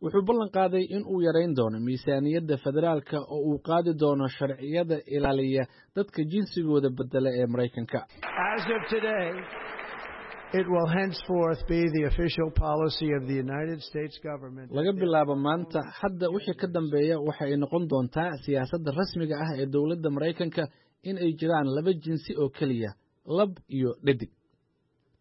Wuxuu ballan qaaday in uu yarayn doono miisaaniyadda federaalka oo uu qaadi doono sharciyada ilaaliya dadka jinsigooda bedela ee Maraykanka. As of today, it will henceforth be the official policy of the United States government. Laga bilaabo maanta, hadda wixii ka dambeeya, waxa ay noqon doontaa siyaasadda rasmiga ah ee dowladda Maraykanka in ay jiraan laba jinsi oo keliya, lab iyo dhedig.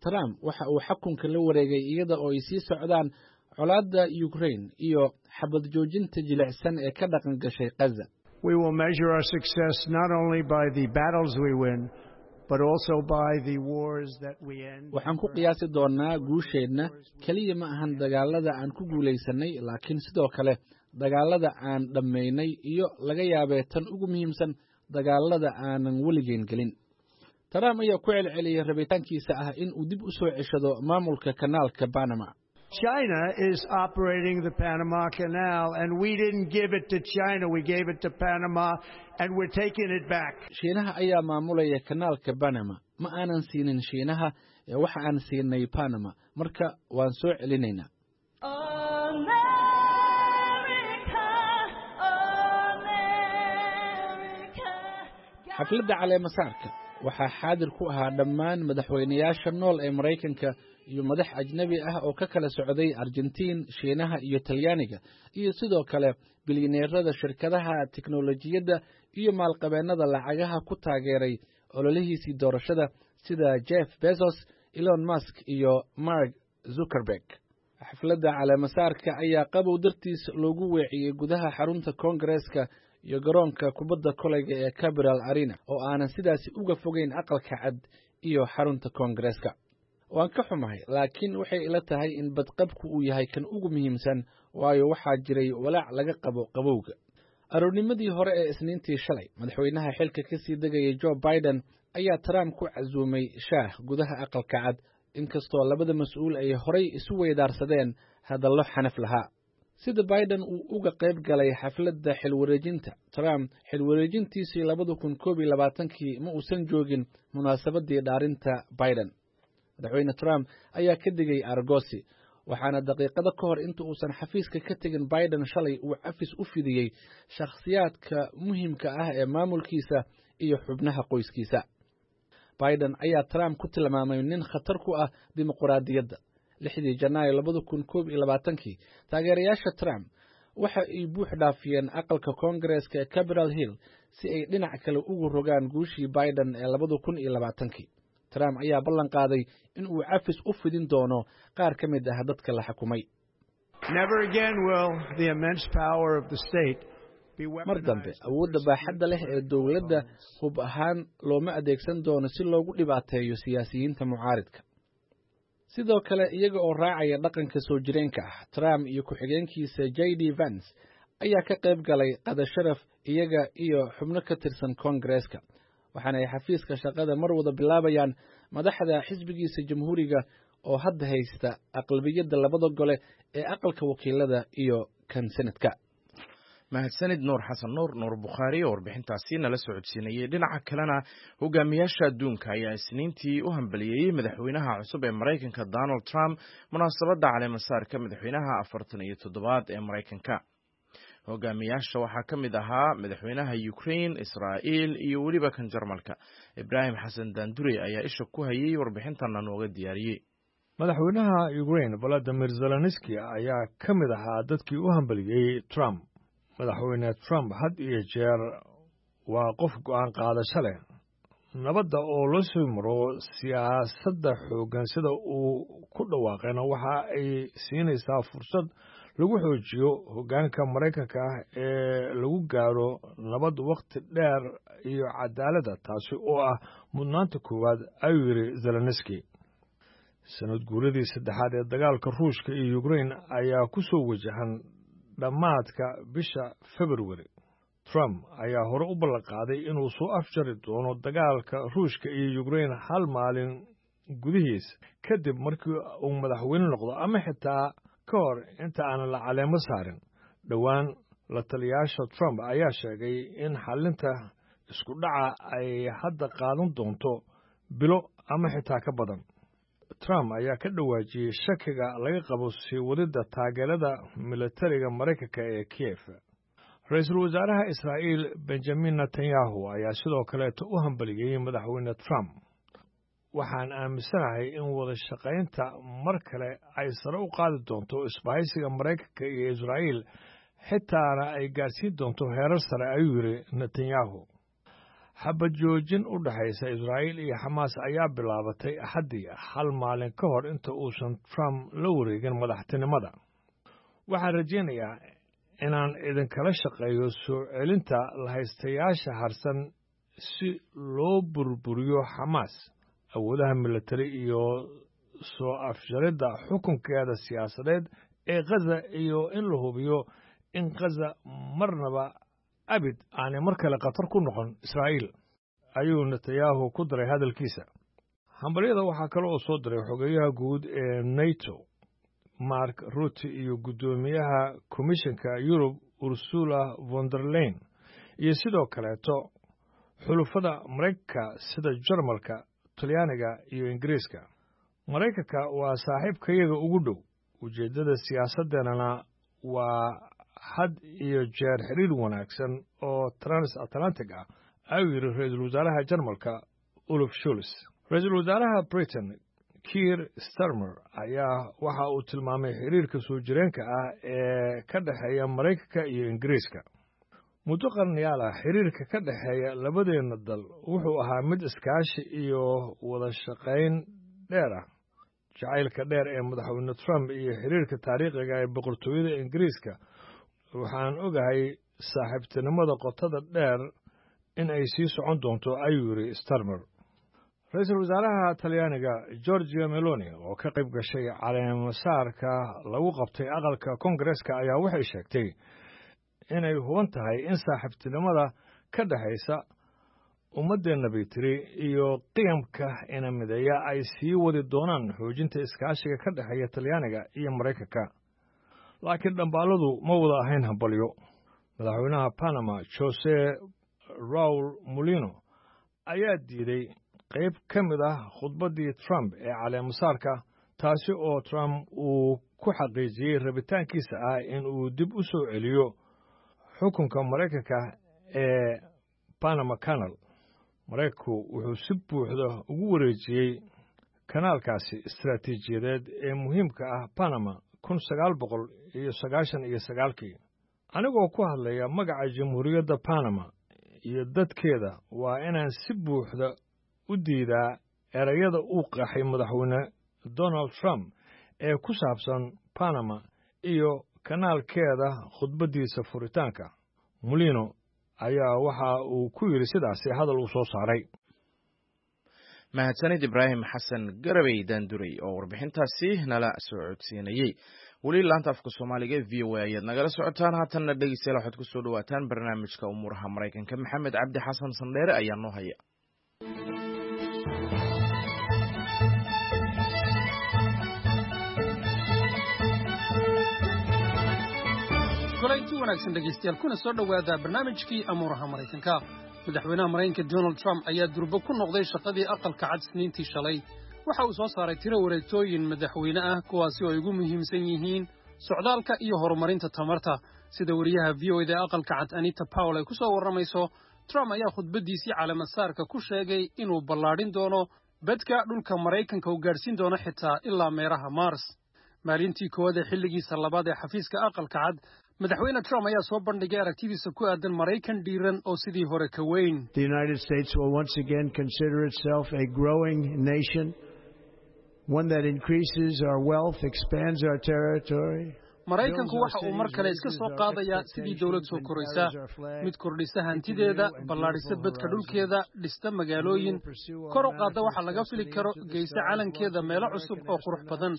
Trump waxa uu xukunka la wareegay iyada oo ay sii socdaan colaadda Ukraine iyo xabad joojinta jilicsan ee ka dhaqan gashay Gaza. We will measure our success not only by the battles we win, but also by the wars that we end. Waxaan ku qiyaasi doonaa guusheenna keliya ma ahan dagaalada aan ku guulaysanay, laakiin sidoo kale dagaalada aan dhammaynay iyo, laga yaabee tan ugu muhiimsan, dagaalada aanan weligeen gelin. Trump ayaa ku celceliyey rabitaankiisa ah in uu dib u soo ceshado maamulka Kanaalka Panama. China is operating the Panama Canal, and we didn't give it to China. We gave it to Panama, and we're taking it back. Shiinaha ayaa maamulaya Kanaalka Panama. Ma aanan siinin Shiinaha ee waxa aan siinay Panama, marka waan soo celinaynaa. Xafladda caleemasaarka waxaa xaadir ku ahaa dhammaan madaxweynayaasha nool ee Maraykanka iyo madax ajnebi ah oo ka kala socday Argentiin, Shiinaha iyo Talyaaniga, iyo sidoo kale bilyaneerada shirkadaha tiknolojiyadda iyo maalqabeennada lacagaha ku taageeray ololihiisii doorashada, sida Jeff Bezos, Elon Musk iyo Mark Zuckerberg. Xafladda caleemasaarka ayaa qabow dartiis loogu weeciyey gudaha xarunta Koongareeska iyo garoonka kubadda kolayga ee Capital Arena, oo aanan sidaasi uga fogeyn Aqalka Cad iyo xarunta Koongareeska. Waan ka xumahay, laakiin waxay ila tahay in badqabku uu yahay kan ugu muhiimsan, waayo waxaa jiray walaac laga qabo qabowga. Aroornimadii hore ee Isniintii shalay, madaxweynaha xilka ka sii degayay Joe Biden ayaa Trump ku casuumay shaah gudaha Aqalka Cad, inkastoo labada mas-uul ay horay isu weydaarsadeen hadallo xanaf lahaa. Sida Biden uu uga qayb galay xafladda xilwareejinta Trump xilwareejintiisii labada kun koob iyo labaatankii, ma uusan joogin munaasabadii dhaarinta Biden. Madaxweyne Trump ayaa ka digay argosi, waxaana daqiiqado ka hor inta uusan xafiiska ka tegin Biden shalay uu cafis u fidiyey shakhsiyaadka muhiimka ah ee maamulkiisa iyo xubnaha qoyskiisa. Biden ayaa Trump ku tilmaamay nin khatar ku ah dimuqraadiyadda. Lixdii Janaayo labada kun koob iyo labaatankii, taageerayaasha Trump waxa ay buux dhaafiyeen aqalka Koongareeska ee Capital Hill si ay dhinac kale ugu rogaan guushii Biden ee labada kun iyo labaatankii. Trump ayaa ballan qaaday in uu cafis u fidin doono qaar ka mid ah dadka la xukumay. Never again will the immense power of the state be Mar dambe awoodda baaxadda leh ee dowladda hub ahaan looma adeegsan doono si loogu dhibaateeyo siyaasiyiinta mucaaridka. Sidoo kale, iyaga oo raacaya dhaqanka soo jireenka ah, Trump iyo ku-xigeenkiisa J D Vance ayaa ka qayb galay qada sharaf, iyaga iyo xubno ka tirsan Koongareeska, waxaana ay xafiiska shaqada mar wada bilaabayaan madaxda xisbigiisa Jamhuuriga oo hadda haysta aqlabiyadda labada gole ee Aqalka Wakiilada iyo kan Senadka. Mahadsanid Nuur Xasan Nuur, Nuur Bukhaari, oo warbixintaasi nala socodsiinayay. Dhinaca kalena, hogaamiyaasha adduunka ayaa Isniintii u hambaliyeeyey madaxweynaha cusub ee Maraykanka Donald Trump munaasabadda caleemasaarka madaxweynaha afartan iyo toddobaad ee Maraykanka. Hogaamiyaasha waxaa ka mid ahaa madaxweynaha Ukraine, Israa'iil iyo weliba kan Jarmalka. Ibraahim Xasan Daandure ayaa isha ku hayay, warbixintana nooga diyaariyey. Madaxweynaha Ukraine Valadimir Zelenski ayaa ka mid ahaa dadkii u hambaliyey Trump. Madaxweyne Trump had iyo jeer waa qof go'aan qaadasho leh. Nabadda oo loo soo maro siyaasadda xooggan sida uu ku dhawaaqayna waxa ay siinaysaa fursad lagu xoojiyo hoggaanka Maraykanka ah ee lagu gaaro nabad wakhti dheer iyo cadaaladda, taasi oo ah mudnaanta koowaad, ayuu yidhi Zelenski. Sanad guuradii saddexaad ee dagaalka Ruushka iyo Ukrain ayaa ku soo wajahan dhammaadka bisha Februari. Trump ayaa hore u ballanqaaday inuu soo afjari doono dagaalka Ruushka iyo Ukrain hal maalin gudihiis kadib markii uu madaxweyne noqdo ama xitaa ka hor inta aanan la caleemo saarin. Dhowaan la taliyaasha Trump ayaa sheegay in xallinta isku dhaca ay hadda qaadan doonto bilo ama xitaa ka badan. Trump ayaa ka dhawaajiyey shakiga laga qabo sii wadidda taageerada militariga Maraykanka ee Kiev. Ra-iisul wasaaraha Israa'iil Benjamin Netanyahu ayaa sidoo kaleeta u hambaliyey madaxweyne Trump. Waxaan aaminsanahay in wada shaqaynta mar kale ay sare u qaadi doonto isbahaysiga Maraykanka iyo Israa'iil, xitaana ay gaarsiin doonto heerar sare, ayuu yidhi Netanyahu. Xabad joojin u dhexaysa Israa'iil iyo Xamaas ayaa bilaabatay Axaddii, hal maalin ka hor inta uusan Trump la wareegin madaxtinimada. Waxaan rajaynayaa inaan idinkala shaqeeyo soo celinta lahaystayaasha harsan si loo burburiyo Xamaas, awoodaha militari iyo soo afjaridda xukunkeeda siyaasadeed ee Khaza, iyo in la hubiyo in Khaza marnaba abid aanay mar kale khatar ku noqon Israa'iil, ayuu Netanyahu ku daray hadalkiisa. Hambalyada waxaa kale oo soo diray xogeyaha guud ee NATO Mark Rutte iyo guddoomiyaha Komishanka Yurub Ursula von der Leyen, iyo sidoo kaleeto xulufada Maraykanka sida Jarmalka, Talyaaniga iyo Ingiriiska. Maraykanka waa saaxiibkayaga ugu dhow, ujeeddada siyaasaddeennana waa had iyo jeer xiriir wanaagsan oo transatlantic ah, ayuu yidhi ra-iisul wasaaraha Jarmalka Olaf Scholz. Ra-iisul wasaaraha Britain Keir Starmer ayaa waxa uu tilmaamay xiriirka soo jireenka ah ee ka dhexeeya Maraykanka iyo Ingiriiska. Muddo qarniyaal ah xiriirka ka dhexeeya labadeenna dal wuxuu ahaa mid iskaashi iyo wada shaqayn dheer ah. Jacaylka dheer ee madaxweyne Trump iyo xiriirka taariikhiga ee boqortooyada Ingiriiska, waxaan ogahay saaxiibtinimada qotada dheer in ay sii socon doonto, ayuu yidhi Starmer. Ra-iisul wasaaraha Talyaaniga Giorgia Meloni oo ka qayb gashay caleemasaarka lagu qabtay aqalka Koongareeska ayaa waxay sheegtay inay huban tahay in saaxiibtinimada ka dhexaysa ummaddeenna bay tiri iyo qiyamka inamideeya ay sii wadi doonaan xoojinta iskaashiga ka dhexeeya Talyaaniga iyo Maraykanka. Laakiin dhambaaladu ma wada ahayn hambalyo. Madaxweynaha Panama Jose Raul Mulino ayaa diiday qayb ka mid ah khudbaddii Trump ee caleemasaarka, taasi oo Trump uu ku xaqiijiyey rabitaankiisa ah in uu dib u soo celiyo xukunka Maraykanka ee Panama Canal. Maraykanku wuxuu si buuxda ugu wareejiyey kanaalkaasi istaraatiijiyadeed ee muhiimka ah Panama kun sagaal boqol iyo sagaashan iyo sagaalkii. Anigoo ku hadlaya magaca Jamhuuriyadda Panama iyo dadkeeda, waa inaan si buuxda u diidaa erayada uu qaxay madaxweyne Donald Trump ee ku saabsan Panama iyo kanaalkeeda khudbaddiisa furitaanka. Mulino ayaa waxa uu ku yidhi sidaasi hadal uu soo saaray. Mahadsanid Ibraahim Xasan Garabey Daanduray oo warbixintaasi nala soo codsiinayey. Weli laanta afka Soomaaliga ee V O A ayaad nagala socotaan. Haatanna dhegeystayaal, waxaad kusoo dhawaataan barnaamijka umuuraha Maraykanka. Maxamed Cabdi Xasan Sandheere ayaa noo haya. Kulanti wanaagsan dhegeystayaal, kuna soo dhowaada barnaamijkii amuuraha Maraykanka. Madaxweynaha Maraykanka Donald Trump ayaa durbo ku noqday shaqadii Aqalka Cad Isniintii shalay. Waxa uu soo saaray tiro wareegtooyin madaxweyne ah, kuwaasi oo ay ugu muhiimsan yihiin socdaalka iyo horumarinta tamarta. Sida wariyaha V O A da ee Aqalka Cad Anita Powell ay ku soo warramayso, Trump ayaa khudbaddiisii caleemasaarka ku sheegay inuu ballaadhin doono bedka dhulka Maraykanka, uu gaadhsiin doono xitaa ilaa meeraha Mars. Maalintii koowaad ee xilligiisa labaad ee xafiiska Aqalka Cad, Madaxweyne Trump ayaa soo bandhigay aragtidiisa ku aadan Maraykan dhiiran oo sidii hore ka weyn. The United States will once again consider itself a growing nation, one that increases our wealth, expands our territory. Maraykanku waxa uu mar kale iska soo qaadayaa sidii dowlad soo koraysa, mid kordhisa hantideeda, ballaadhisa bedka dhulkeeda, dhista magaalooyin, kor u qaadda waxa laga fili karo, geysa calankeeda meelo cusub oo qurux badan.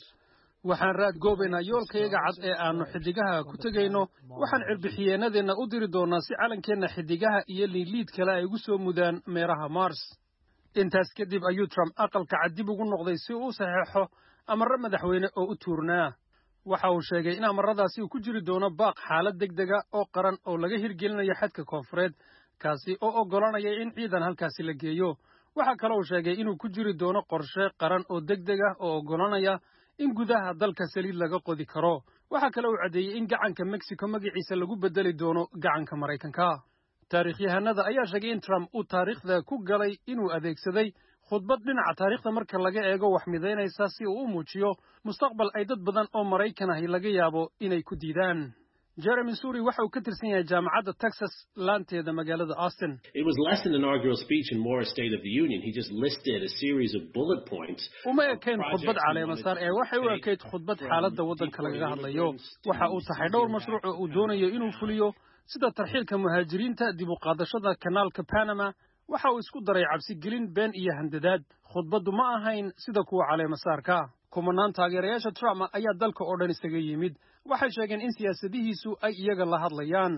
Waxaan raad goobaynaa yoolkayaga cad ee aannu xiddigaha ku tegayno. Waxaan cirbixiyeenadeenna u diri doonaa si calankeenna xiddigaha iyo liidliid kale ay ugu soo mudaan meeraha Mars. Intaas kadib ayuu Trump aqalka cad dib ugu noqday si uu u saxeexo amarro madaxweyne oo u tuurnaa. Waxa uu sheegay in amaradaasi uu ku jiri doono baaq xaalad degdega oo qaran oo laga hirgelinayo xadka koonfureed, kaasi oo oggolanaya in ciidan halkaasi la geeyo. Waxaa kale uu sheegay inuu ku jiri doono qorshe qaran oo degdeg ah oo oggolanaya in gudaha dalka saliid laga qodi karo. Waxaa kale uu caddeeyey in gacanka Mexico magaciisa lagu bedeli doono gacanka Maraykanka. Taariikhyahanada ayaa sheegay in Trump uu taariikhda ku galay inuu adeegsaday khudbad dhinaca taariikhda marka laga eego wax midaynaysa si uu u muujiyo mustaqbal ay dad badan oo Maraykan ahi laga yaabo inay ku diidaan. Jeremy Suri waxa uu ka tirsan yahay jaamacadda Texas laanteeda magaalada Austin. It was less an inaugural speech and more a State of the Union. He just listed a series of bullet points. Uma ekayn khudbad caleemasaar ee waxay u ekayd khudbad xaaladda waddanka lagaga hadlayo. Waxa uu taxay dhowr mashruuc oo uu doonayo inuu fuliyo, sida tarxiilka muhaajiriinta, dib u qaadashada kanaalka Panama. Waxa uu isku daray cabsigelin, been iyo handadaad. Khudbaddu ma ahayn sida kuwa caleemasaarka. Kumanaan taageerayaasha Trump ayaa dalka oo dhan isaga yimid. Waxay sheegeen in siyaasadihiisu ay iyaga la hadlayaan.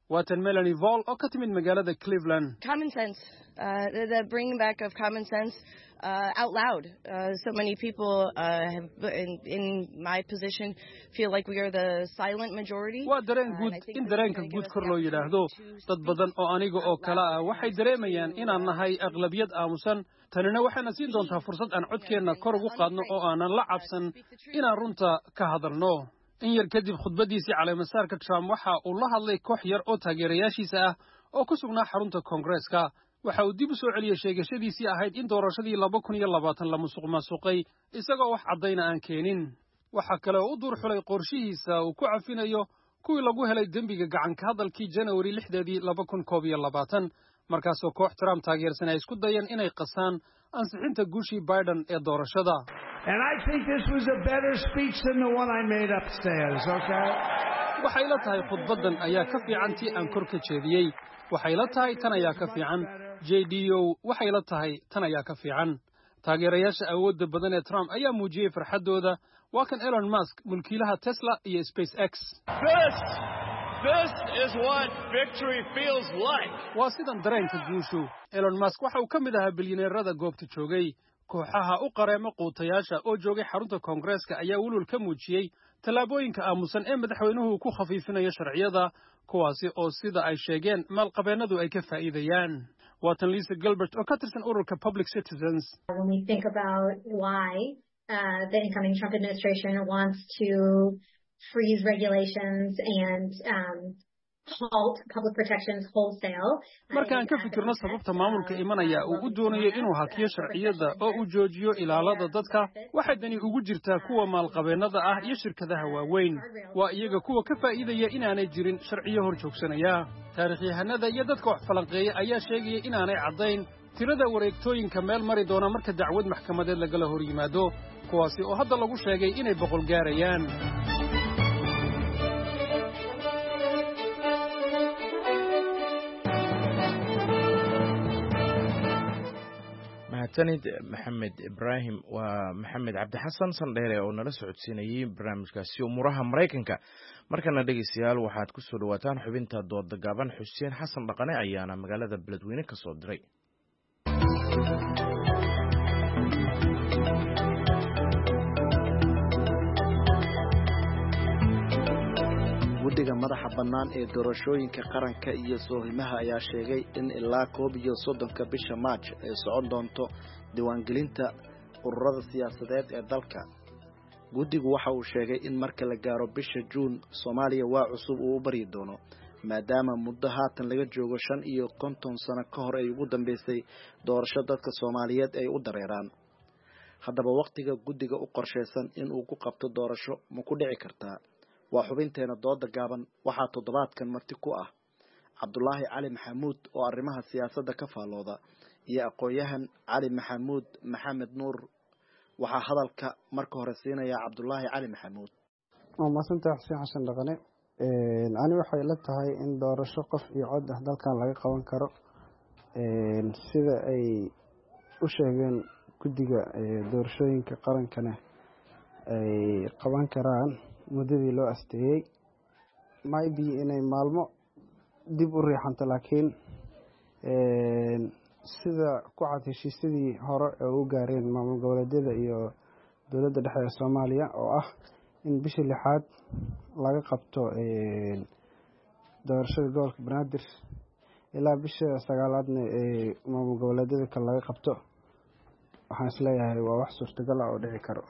Waatan Melanie Voll oo ka timid magaalada Cleveland. Common sense, uh, the, the bringing back of common sense uh, out loud. Uh, so many people uh, have, in, in my position, feel like we are the silent majority. Waa dareen guud in dareenka guud kor loo yidhaahdo. Dad badan oo aniga oo kale ah waxay dareemayaan inaan nahay aqlabiyad aamusan. Tanina waxayna siin doontaa fursad aan codkeenna kor ugu qaadno oo aanan la cabsan inaan runta ka hadalno. In yar kadib khudbaddiisii caleemasaarka, Trump waxa uu la hadlay koox yar oo taageerayaashiisa ah oo ku sugnaa xarunta Koongareeska. Waxa uu dib u soo celiyey sheegashadiisii ahayd in doorashadii laba kun iyo labaatan la musuq maasuqay, isagoo wax caddayna aan keenin. Waxa kale oo u duur xulay qorshihiisa uu ku cafinayo kuwii lagu helay dembiga gacanka hadalkii Janawari lixdeedii laba kun koob iyo labaatan, markaasoo koox Trump taageersan ay isku dayeen inay qasaan ansixinta guushii Biden ee doorashada. And I think this was a better speech than the one I made upstairs, okay? Waxay la tahay khudbaddan ayaa ka fiican tii aan kor ka jeediyey. Waxay la tahay tan ayaa ka fiican. J D O, waxay la tahay tan ayaa ka fiican. Taageerayaasha awoodda badan ee Trump ayaa muujiyey farxaddooda. Waa kan Elon Musk, mulkiilaha Tesla iyo SpaceX. This, this is what victory feels like. Waa sidan dareenka guushu. Elon Musk waxa uu ka mid ahaa bilyaneerada goobta joogay. Kooxaha u qareemo quutayaasha oo joogay xarunta Koongareeska ayaa welwel ka muujiyey tallaabooyinka aamusan ee madaxweynuhu ku khafiifinayo sharciyada, kuwaasi oo sida ay sheegeen maalqabeennadu ay ka faa'iidayaan. Waatan Lisa Gilbert oo ka tirsan ururka Public Citizens. When we think about why uh, the incoming Trump administration wants to freeze regulations and um, halt public protections wholesale. Markaan ka fikirno sababta maamulka imanaya uu u doonayo inuu hakiyo sharciyada oo uu joojiyo ilaalada dadka, waxay dani ugu jirtaa kuwa maalqabeennada ah iyo shirkadaha waaweyn. Waa iyaga kuwa ka faa'iidaya inaanay jirin sharciyo hor joogsanaya. Taariikhyahanada iyo dadka wax falanqeeya ayaa sheegaya inaanay caddayn tirada wareegtooyinka meel mari doona marka dacwad maxkamadeed lagala hor yimaado, kuwaasi oo hadda lagu sheegay inay boqol gaarayaan. Mahadsanid Maxamed Ibraahim. Waa Maxamed Cabdixasan Sandheere oo nala socodsiinayey barnaamijkaasi umuuraha Maraykanka. Markana dhegeystayaal, waxaad ku soo dhawaataan xubinta dooda gaaban. Xuseen Xasan Dhaqane ayaana magaalada Beledweyne ka soo diray. Guddiga madaxa bannaan ee doorashooyinka qaranka iyo soohimaha ayaa sheegay in ilaa koob iyo soddonka bisha Maaj ay socon doonto diiwaangelinta ururada siyaasadeed ee dalka. Guddigu waxa uu sheegay in marka la gaaro bisha Juun Soomaaliya waa cusub uu u baryi doono, maadaama muddo haatan laga joogo shan iyo konton sano ka hor ay ugu dambeysay doorasho dadka Soomaaliyeed ay u dareeraan. Haddaba wakhtiga guddiga u qorshaysan in uu ku qabto doorasho ma ku dhici kartaa? Waa xubinteena dooda gaaban. Waxaa toddobaadkan marti ku ah Cabdulaahi Cali Maxamuud oo arrimaha siyaasadda ka faallooda iyo aqoon-yahan Cali Maxamuud Maxamed Nuur. Waxaa hadalka marka hore siinaya Cabdulaahi Cali Maxamuud. Waa mahadsantahay Xuseen Xasan Dhaqane. Ani waxay la tahay in doorasho qof iyo cod ah dalkan laga qaban karo, sida ay u sheegeen guddiga doorashooyinka qarankana ay qaban karaan muddadii loo asteeyey. Maybe inay maalmo dib u riixanto, laakiin sida ku cad heshiisyadii hore ee u gaareen maamul goboleedyada iyo dowladda dhexe ee Soomaaliya, oo ah in bishii lixaad laga qabto doorashada gobolka Banaadir, ilaa bisha sagaalaadna ee maamul goboleedyada kale laga qabto, waxaan isleeyahay waa wax suurtagal ah oo dhici karo.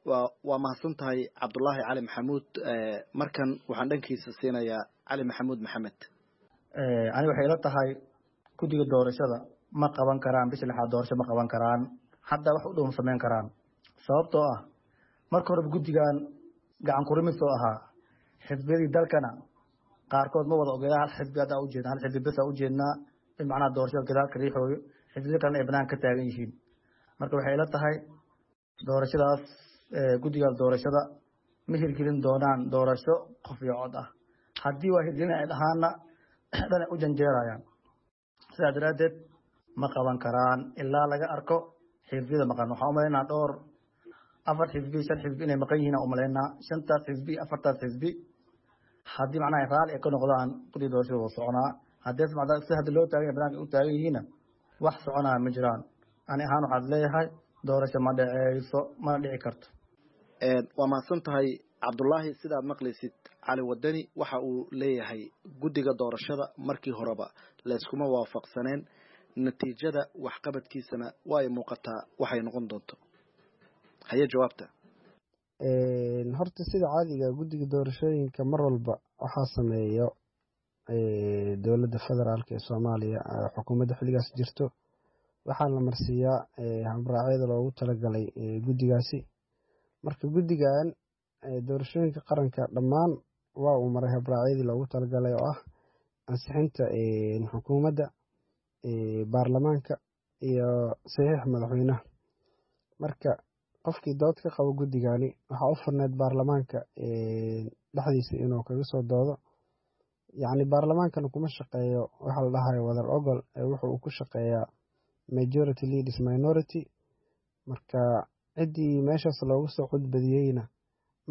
Waa waa mahadsan tahay Cabdulaahi Cali Maxamuud. Markan waxaan dhankiisa siinayaa Cali Maxamuud Maxamed. Ani waxay ila tahay guddiga doorashada ma qaban karaan bisha lixaad, doorasho ma qaban karaan, hadda wax u dhow ma samayn karaan, sababtoo ah marka horeba guddigan gacan kurimis oo ahaa xisbiyadii dalkana qaarkood ma wada ogeeda. Hal xisbi hadda ujeedna, hal xisbi bes ujeednaa in macnaha doorashada gadaalka riixooyo, xisbiyo kalena ay banaanka ka taagan yihiin. Marka waxay ila tahay doorashadaas guddigaas doorashada ma hirgelin doonaan doorasho qof iyo cod ah. Haddii waa hirgelin ay dhahaanna, dhanay u janjeerayaan. Sidaa daraaddeed ma qaban karaan ilaa laga arko xisbiyada maqan. Waxaan umalaynaa dhowr afar xisbi, shan xisbi inay maqan yihiin aan umalaynaa. Shantaas xisbi, afartaas xisbi haddii macnaha raalli ay ka noqdaan, guddiga doorashada waa soconaa. Haddii si hadda loo taagan yahay banaanka u taagan yihiinna, wax soconaa ma jiraan. Ani ahaan waxaad leeyahay doorasho ma dhaceyso, mana dhici karto. Waa mahadsan tahay Cabdulaahi. Sidaad maqlaysid, Cali Wadani waxa uu leeyahay guddiga doorashada markii horeba layskuma waafaqsaneen, natiijada waxqabadkiisana waa ay muuqataa waxay noqon doonto. Haye, jawaabta. Horta sida caadiga guddiga doorashooyinka mar walba waxaa sameeyo dowladda federaalk ee Soomaaliya, xukuumadda xilligaas jirto. Waxaa la marsiiyaa habraacyada loogu talagalay guddigaasi. Marka guddigan doorashooyinka qaranka dhammaan waa uu maray habraacyadii loogu talagalay, oo ah ansixinta xukuumadda, baarlamaanka iyo saxiix madaxweynaha. Marka qofkii dood ka qabo guddigani waxaa u furneyd baarlamaanka dhexdiisa inuu kaga soo doodo. Yacni baarlamaankana kuma shaqeeyo waxa la dhahayo wadar ogol, wuxuu uu ku shaqeeyaa majority leaders minority. Marka ciddii meeshaas loogu soo codbadiyeyna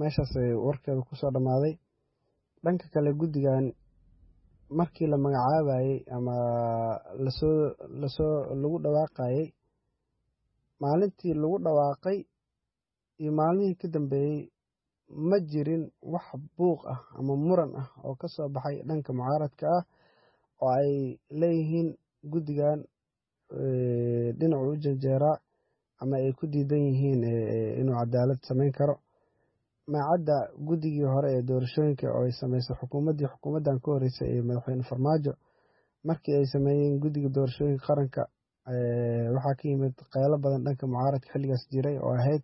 meeshaas warkeeda kusoo dhammaaday. Dhanka kale, guddigan markii la magacaabayey ama lasoo lasoo lagu dhawaaqayey, maalintii lagu dhawaaqay iyo maalmihii ka dambeeyey ma jirin wax buuq ah ama muran ah oo ka soo baxay dhanka mucaaradka ah oo ay leeyihiin guddigan dhinacu u janjeeraa ama ay ku diidan yihiin inuu cadaalad samayn karo. Maacadda guddigii hore ee doorashooyinka oo ay sameysay xukuumaddii xukuumaddan ka horeysay ee madaxweyne Farmaajo, markii ay sameeyeen guddiga doorashooyinka qaranka, waxaa ka yimid qaylo badan dhanka mucaaradka xilligaas jiray oo ahayd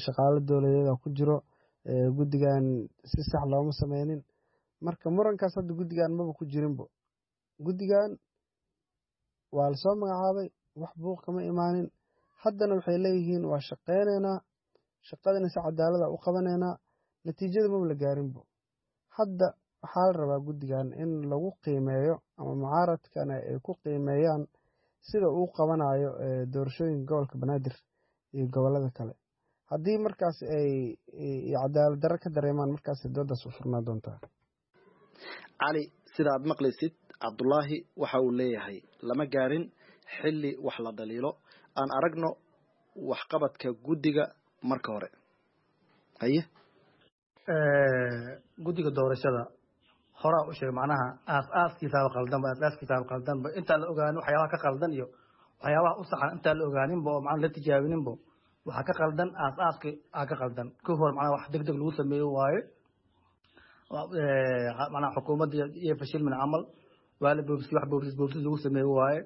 shaqaalo dowladeed ku jiro guddigan, si sax looma sameynin. Marka murankaas hadda guddigan maba ku jirinbo. Guddigan waa lasoo magacaabay, wax buuq kama imaanin. Haddana waxay leeyihiin waa shaqeyneynaa, shaqadana si cadaalada u qabanaynaa. Natiijada maba la gaarinbo. Hadda waxaa la rabaa guddigan in lagu qiimeeyo ama mucaaradkana ay ku qiimeeyaan sida uu qabanayo doorashooyinka gobolka Banaadir iyo gobolada kale. Haddii markaas ay cadaalad darro ka dareemaan, markaas doodaas u furnaa doontaa. Cali, sida aad maqlaysid, Cabdulaahi waxa uu leeyahay lama gaarin xilli wax la dhaliilo, aan aragno waxqabadka guddiga marka hore. Haye. Guddiga doorashada horaa u sheegay macnaha aas-aaskiisaaba qaldanba, aas-aaskiisaaba qaldanba. Intaan la ogaanin waxyaabaha ka qaldan iyo waxyaabaha u saxan, intaan la ogaaninba oo macnaha la tijaabininba waxaa ka qaldan, aas-aaski aa ka qaldan ka hor. Macnaha wax deg deg lagu sameeyo waaye. Macnaha xukuumadda iyo fashilmin camal waa la boobsi, wax boobsis boobsis lagu sameeyo waaye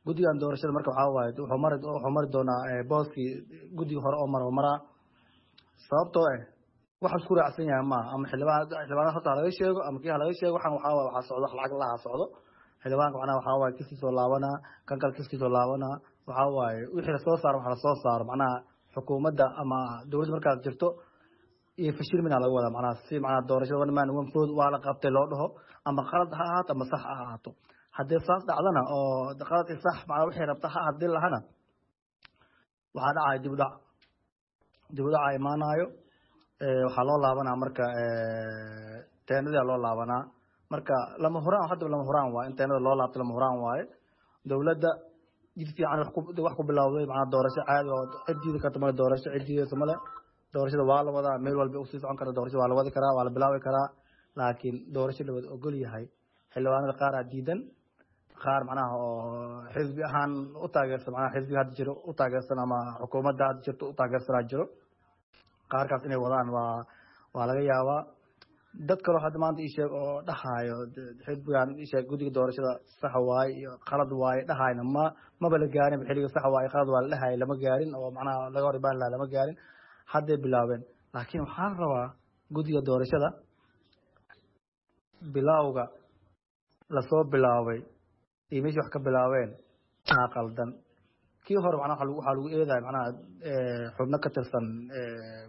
guddigan doorashada. Marka waxaa waaye wuxuu mari wuxuu mari doonaa booskii guddiga hore oo maro maraa, sababtoo eh Wax isku raacsan yahay maaha. Ama xildhibaan xildhibaanada horta ha laga sheego ama kii ha laga sheego, waxaan waxaa waaye waxaa socdo wax lacag laha socdo. Xildhibaanka macnaha waxaa waaye kiskii soo laabanaa, kan kale kiskii soo laabanaa. Waxaa waaye wixii lasoo saaro waxa lasoo saaro macnaha xukuumadda ama dowladda markaas jirto iyo fashilmina laga wadaa, macnaha si macnaha doorashada one man one vote waa la qabtay loo dhaho, ama qalad ha ahaato ama sax ha ahaato. Haddii saas dhacdana oo qalad iyo sax macnaha wixii rabta ha haddii lahana, waxaa dhacaya dib u dhac, dib u dhaca imaanayo. Waxaa loo laabanaa marka teenadaa loo laabanaa. Marka lama huraan, hadda lama huraan waaye in teenada loo laabto, lama huraan waaye. Dowladda jid fiican wax ku wax ku bilowday, macnaha doorasho caadi oo cid diidi karta male, doorasho cid diidaysa male. Doorashada waa la wadaa, meel walba usii socon karta doorashada, waa la wadi karaa, waa la bilaabi karaa, laakiin doorasho la wada ogol yahay. Xildhibaanada qaar aa diidan, qaar macnaha oo xisbi ahaan u taageersan, macnaha xisbiga hadda jiro u taageersan ama xukuumadda hadda jirto u taageersanaa jiro. Qaarkaas inay wadaan waa waa laga yaabaa. Dad kaloo hadda maanta ii sheeg oo dhahaayo xisbigan ii sheeg guddiga doorashada sax waaye iyo qalad waaye dhahayna ma maba la gaarin xilliga sax waaye qalad waa la dhahayo, lama gaarin oo macnaha laga hor imaan lahaa lama gaarin, hadday bilaabeen. Laakiin waxaan rabaa guddiga doorashada bilowga lasoo bilaabay iyo meeshii wax ka bilaabeen aa qaldan. Kii hore macnaha waxaa lagu waxaa lagu eedaya macnaha xubno ka tirsan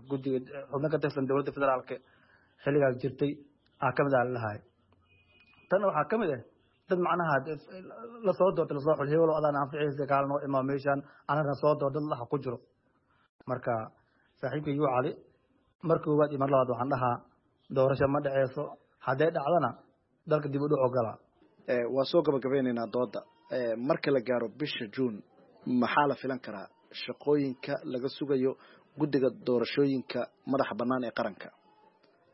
guddiga, xubno ka tirsan dowladda federaalka xilligaas jirtay aa kamid ah lalahay. Tanna waxaa kamid ah dad macnaha lasoo doortay, lasoo xul hebelo adaan anficaysa kaala noo imaa meeshaan anagana soo door dad laha ku jiro. Marka saaxiibka yuu Cali, mar koowaad iyo mar labaad waxaan dhahaa doorasho ma dhaceyso, hadday dhacdana dalka dib u dhac ogolaa. Waa soo gabagabeynaynaa dooda. Marka la gaaro bisha Juun, maxaa la filan karaa shaqooyinka laga sugayo guddiga doorashooyinka madaxa bannaan ee qaranka?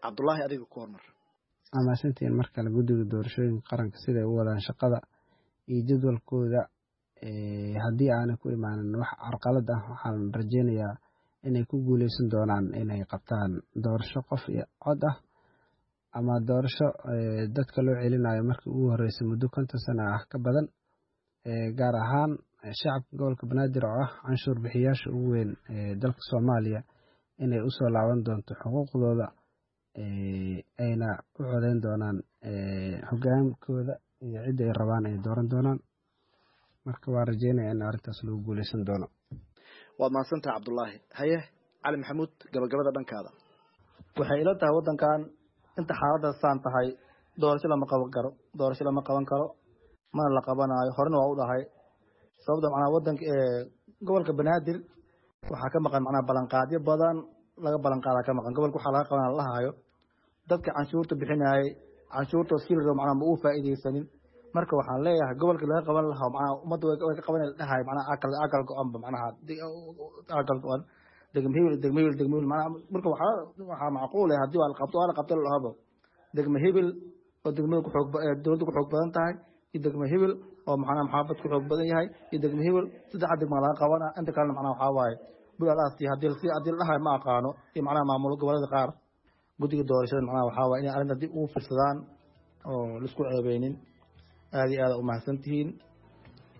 Cabdullaahi, adiga ku hormar. Amaasantiin. Mar kale guddiga doorashooyinka qaranka siday u wadaan shaqada iyo jadwalkooda, haddii aanay ku imaanin wax carqalad ah, waxaan rajeynayaa inay ku guuleysan doonaan inay qabtaan doorasho qof iyo cod ah ama doorasho dadka loo celinayo markii ugu horreysay muddo konton sano ah ka badan, gaar ahaan shacabka gobolka Banaadir oo ah canshuur bixiyaasha ugu weyn ee dalka Soomaaliya, inay usoo laaban doonto xuquuqdooda, ayna u codeyn doonaan hogaankooda iyo cidda ay rabaan ay dooran doonaan. Marka waa rajeynaya in arrintaas lagu guuleysan doono. Waad mahadsantaha Cabdullaahi. Haye Cali Maxamuud, gabagabada dhankaada. Waxay ila tahay waddankan inta xaaladda saan tahay doorasho lama qaban karo, doorasho lama qaban karo, mana la qabanaayo. Horena waa u dhahay sababta macnaha waddanka gobolka Banaadir waxaa ka maqan macnaha ballanqaadyo badan laga ballanqaadaa ka maqan gobolka. Waxaa laga qabanaa la hayo dadka canshuurta bixinayay, canshuurta silro macnaha ma uu faa'iidaysanin. Marka waxaan leeyahay gobolka laga qaban lahaa macnaha ummadda way ka qaban dhahay macnaha akal akal go-anba macnaha akal go-an degmo hebel, degmo hebel, degmo hebel macnaha. Marka waxaa waxaa macquul ah haddii waa la qabto waa la qabto la dhahaba degmo hebel oo degmada ku xoog dowladda ku xoog badan tahay iyo degmo hebel oo macnaha maxaafad ku xoog badan yahay iyo degmo hebel, saddexa degma laga qabanaa, inta kalena macnaha waxaa waaye bulalaasi haddii si haddii la dhahayo ma aqaano. Iyo macnaha maamul goboleeda qaar guddiga doorashada macnaha waxaa waaye inay arrinta dib ugu fiirsadaan oo laisku ceebeynin. Aada iyo aada u mahadsantihiin.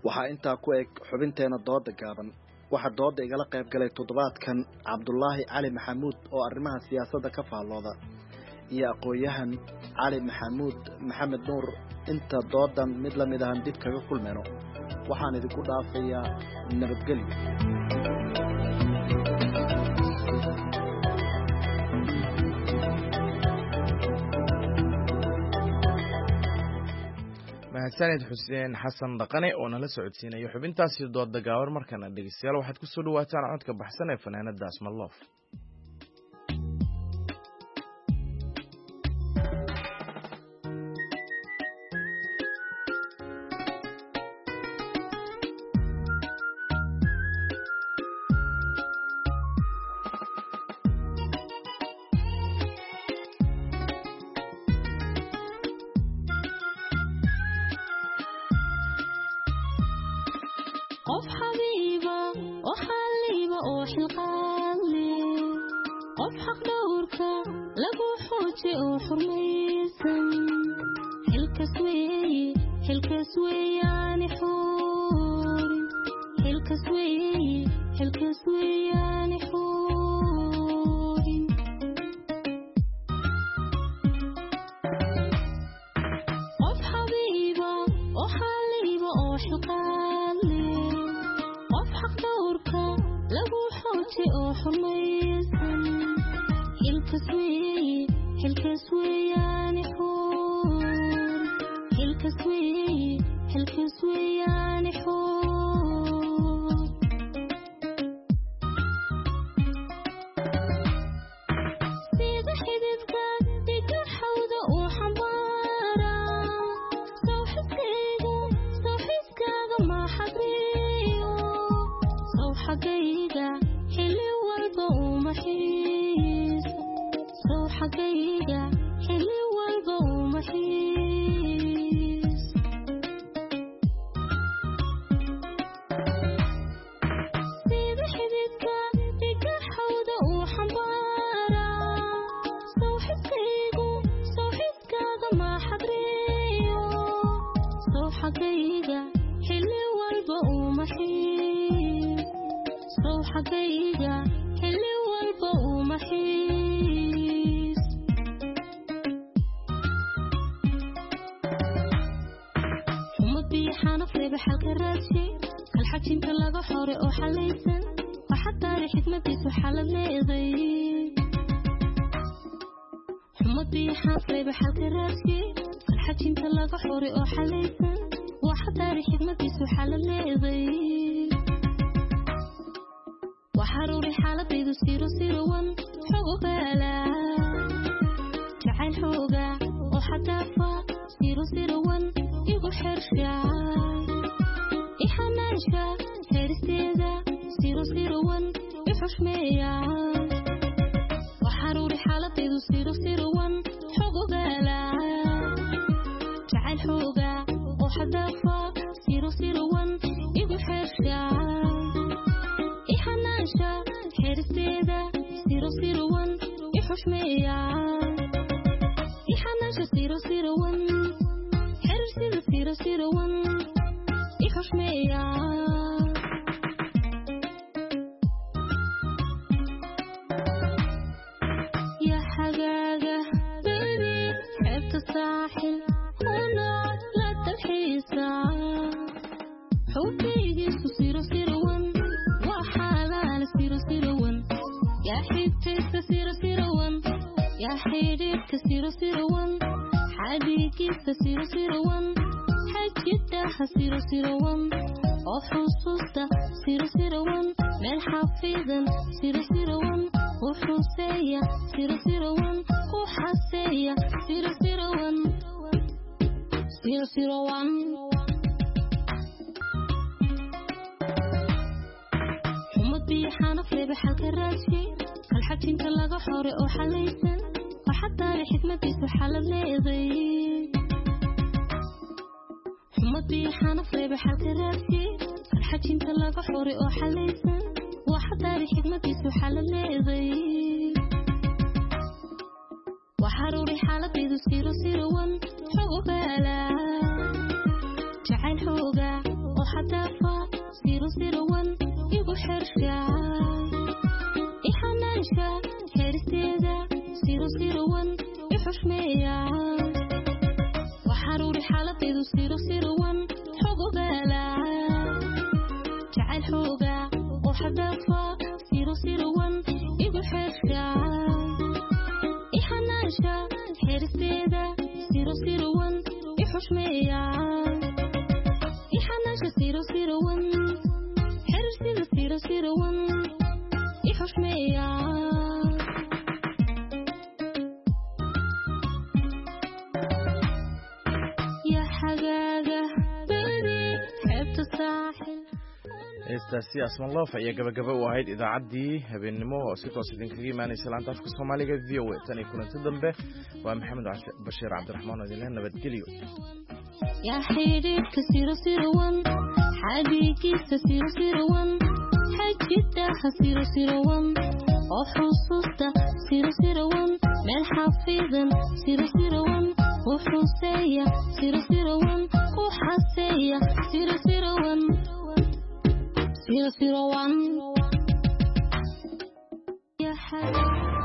Waxaa intaa ku eg xubinteena dooda gaaban. Waxaa dooda igala qayb galay toddobaadkan Cabdulaahi Cali Maxamuud oo arrimaha siyaasadda ka faallooda iyo aqoon-yahan Cali Maxamuud Maxamed Nuur. Inta doodan mid la mid ahan dib kaga kulmayno, waxaan idinku dhaafayaa nabadgelyo. Mahadsanid Xuseen Xasan Dhaqane oo nala socodsiinayo xubintaasi dooda gaaban. Markana dhegeystayaal waxaad ku soo dhawaataan codka baxsan ee fanaanada Asmaloof. Qof xabiiba oo xaliiba oo xilqaadle, qof xaq dhowrka lagu xooje oo xurmaysan, xilkas weeye, xilkas weeyaani xuurin, xilkas weeye, xilkas weeyaani xuurin. Lagu xooji oo xurmaysan xilkas weeye xilkas weeyaani xuur xilkas weeye xilkas weeyaani xuur sida xididka dhiga xawda uu xambaara sawxiskaygu sawxiskaaga ma xadriyo sawxagayga xilli walba uma xiiso sawxagayga xilli walba uma xiiso sida xididka dhiga xawda uu xambaara sawxiskaygu sawxiskaaga ma xadriyo sawxagayga xilli walba uma xiiso sawxagayga xilli walba uma xiis xumadii xanaf reeba xalka raadshay kalxajinta laga xore oo xalaysan waxaa taari xikmadiisu xalad leeday xumadii xanaf reeba xalka raadshay kalxajinta laga xore oo xalaysan waxaa taari xikmadiisu xalad leeday waxaruuri xaaladaydu siro sirowan xog ogaala jacayl xooga oo xadaafa siro sirowan igu xersha ixanaansha xeeristeeda siro sirowan i xushmeeya waxaruuri xaaladaydu siro sirowan xog ogaala jacayl xooga oo xadaafa siro sirowan igu xersha ixanaansha xeeristeeda siro sirowan i xushmeeya ixanaansha siro sirowan xiriirsida siro sirowan i xushmeeya ya xagaaga baby xeebta saaxil una la dalxiisa xubbigiisu siro sirowan waa xalaal siro sirowan yaa xigtaysa siro sirowan yaa xidhiidhka siro sirowan xadhigiisa siro sirowan xajidaha siro sirowan oo xusuusta siro sirowan meel xafidan siro sirowan u xuseeya siro sirowan ku xaseeya siro sirowan siro sirowan xumadii xanaf reeba xalka raadshay kalxajinta laga xore oo xalaysan waxaa taari xikmadiisu xalad leeday xumadii xanaf reeba xalka raadshay kalxajinta laga xore oo xalaysan waxaa taari xikmadiisu xalad leeday waxaruuri xaaladaydu siro sirowan xog ogaala jacayl xooga oo xadaafa siro sirowan igu xersha ixanaansha xeeristeeda siro sirowan i xushmeeya waxaruuri xaaladaydu siro sirowan xog ogaala jacayl xooga oo xadaafa siro sirowan igu xersha ixanaansha xeeristeeda siro sirowan i xushmeeya ixanaansha siro sirowan xiriirsida siro sirowan i xushmeeya ya xagaaga baby xeebta saaxil Heestaasi Asman Loof ayaa gabagaba u ahayd idaacaddii habeennimo oo si toos idinkaga imaanaysa laanta afka Soomaaliga V O A. Tan iyo kulanti dambe waa Maxamed Bashiir Cabdiraxmaan oo idinleh nabadgelyo. yaa xidhiidhka siro sirowan xadhigiisa siro sirowan xajidaha siro sirowan oo xusuusta siro sirowan meel xafidan siro sirowan u xuseeya siro sirowan ku xaseeya siro sirowan siro sirowan ya xagaaga.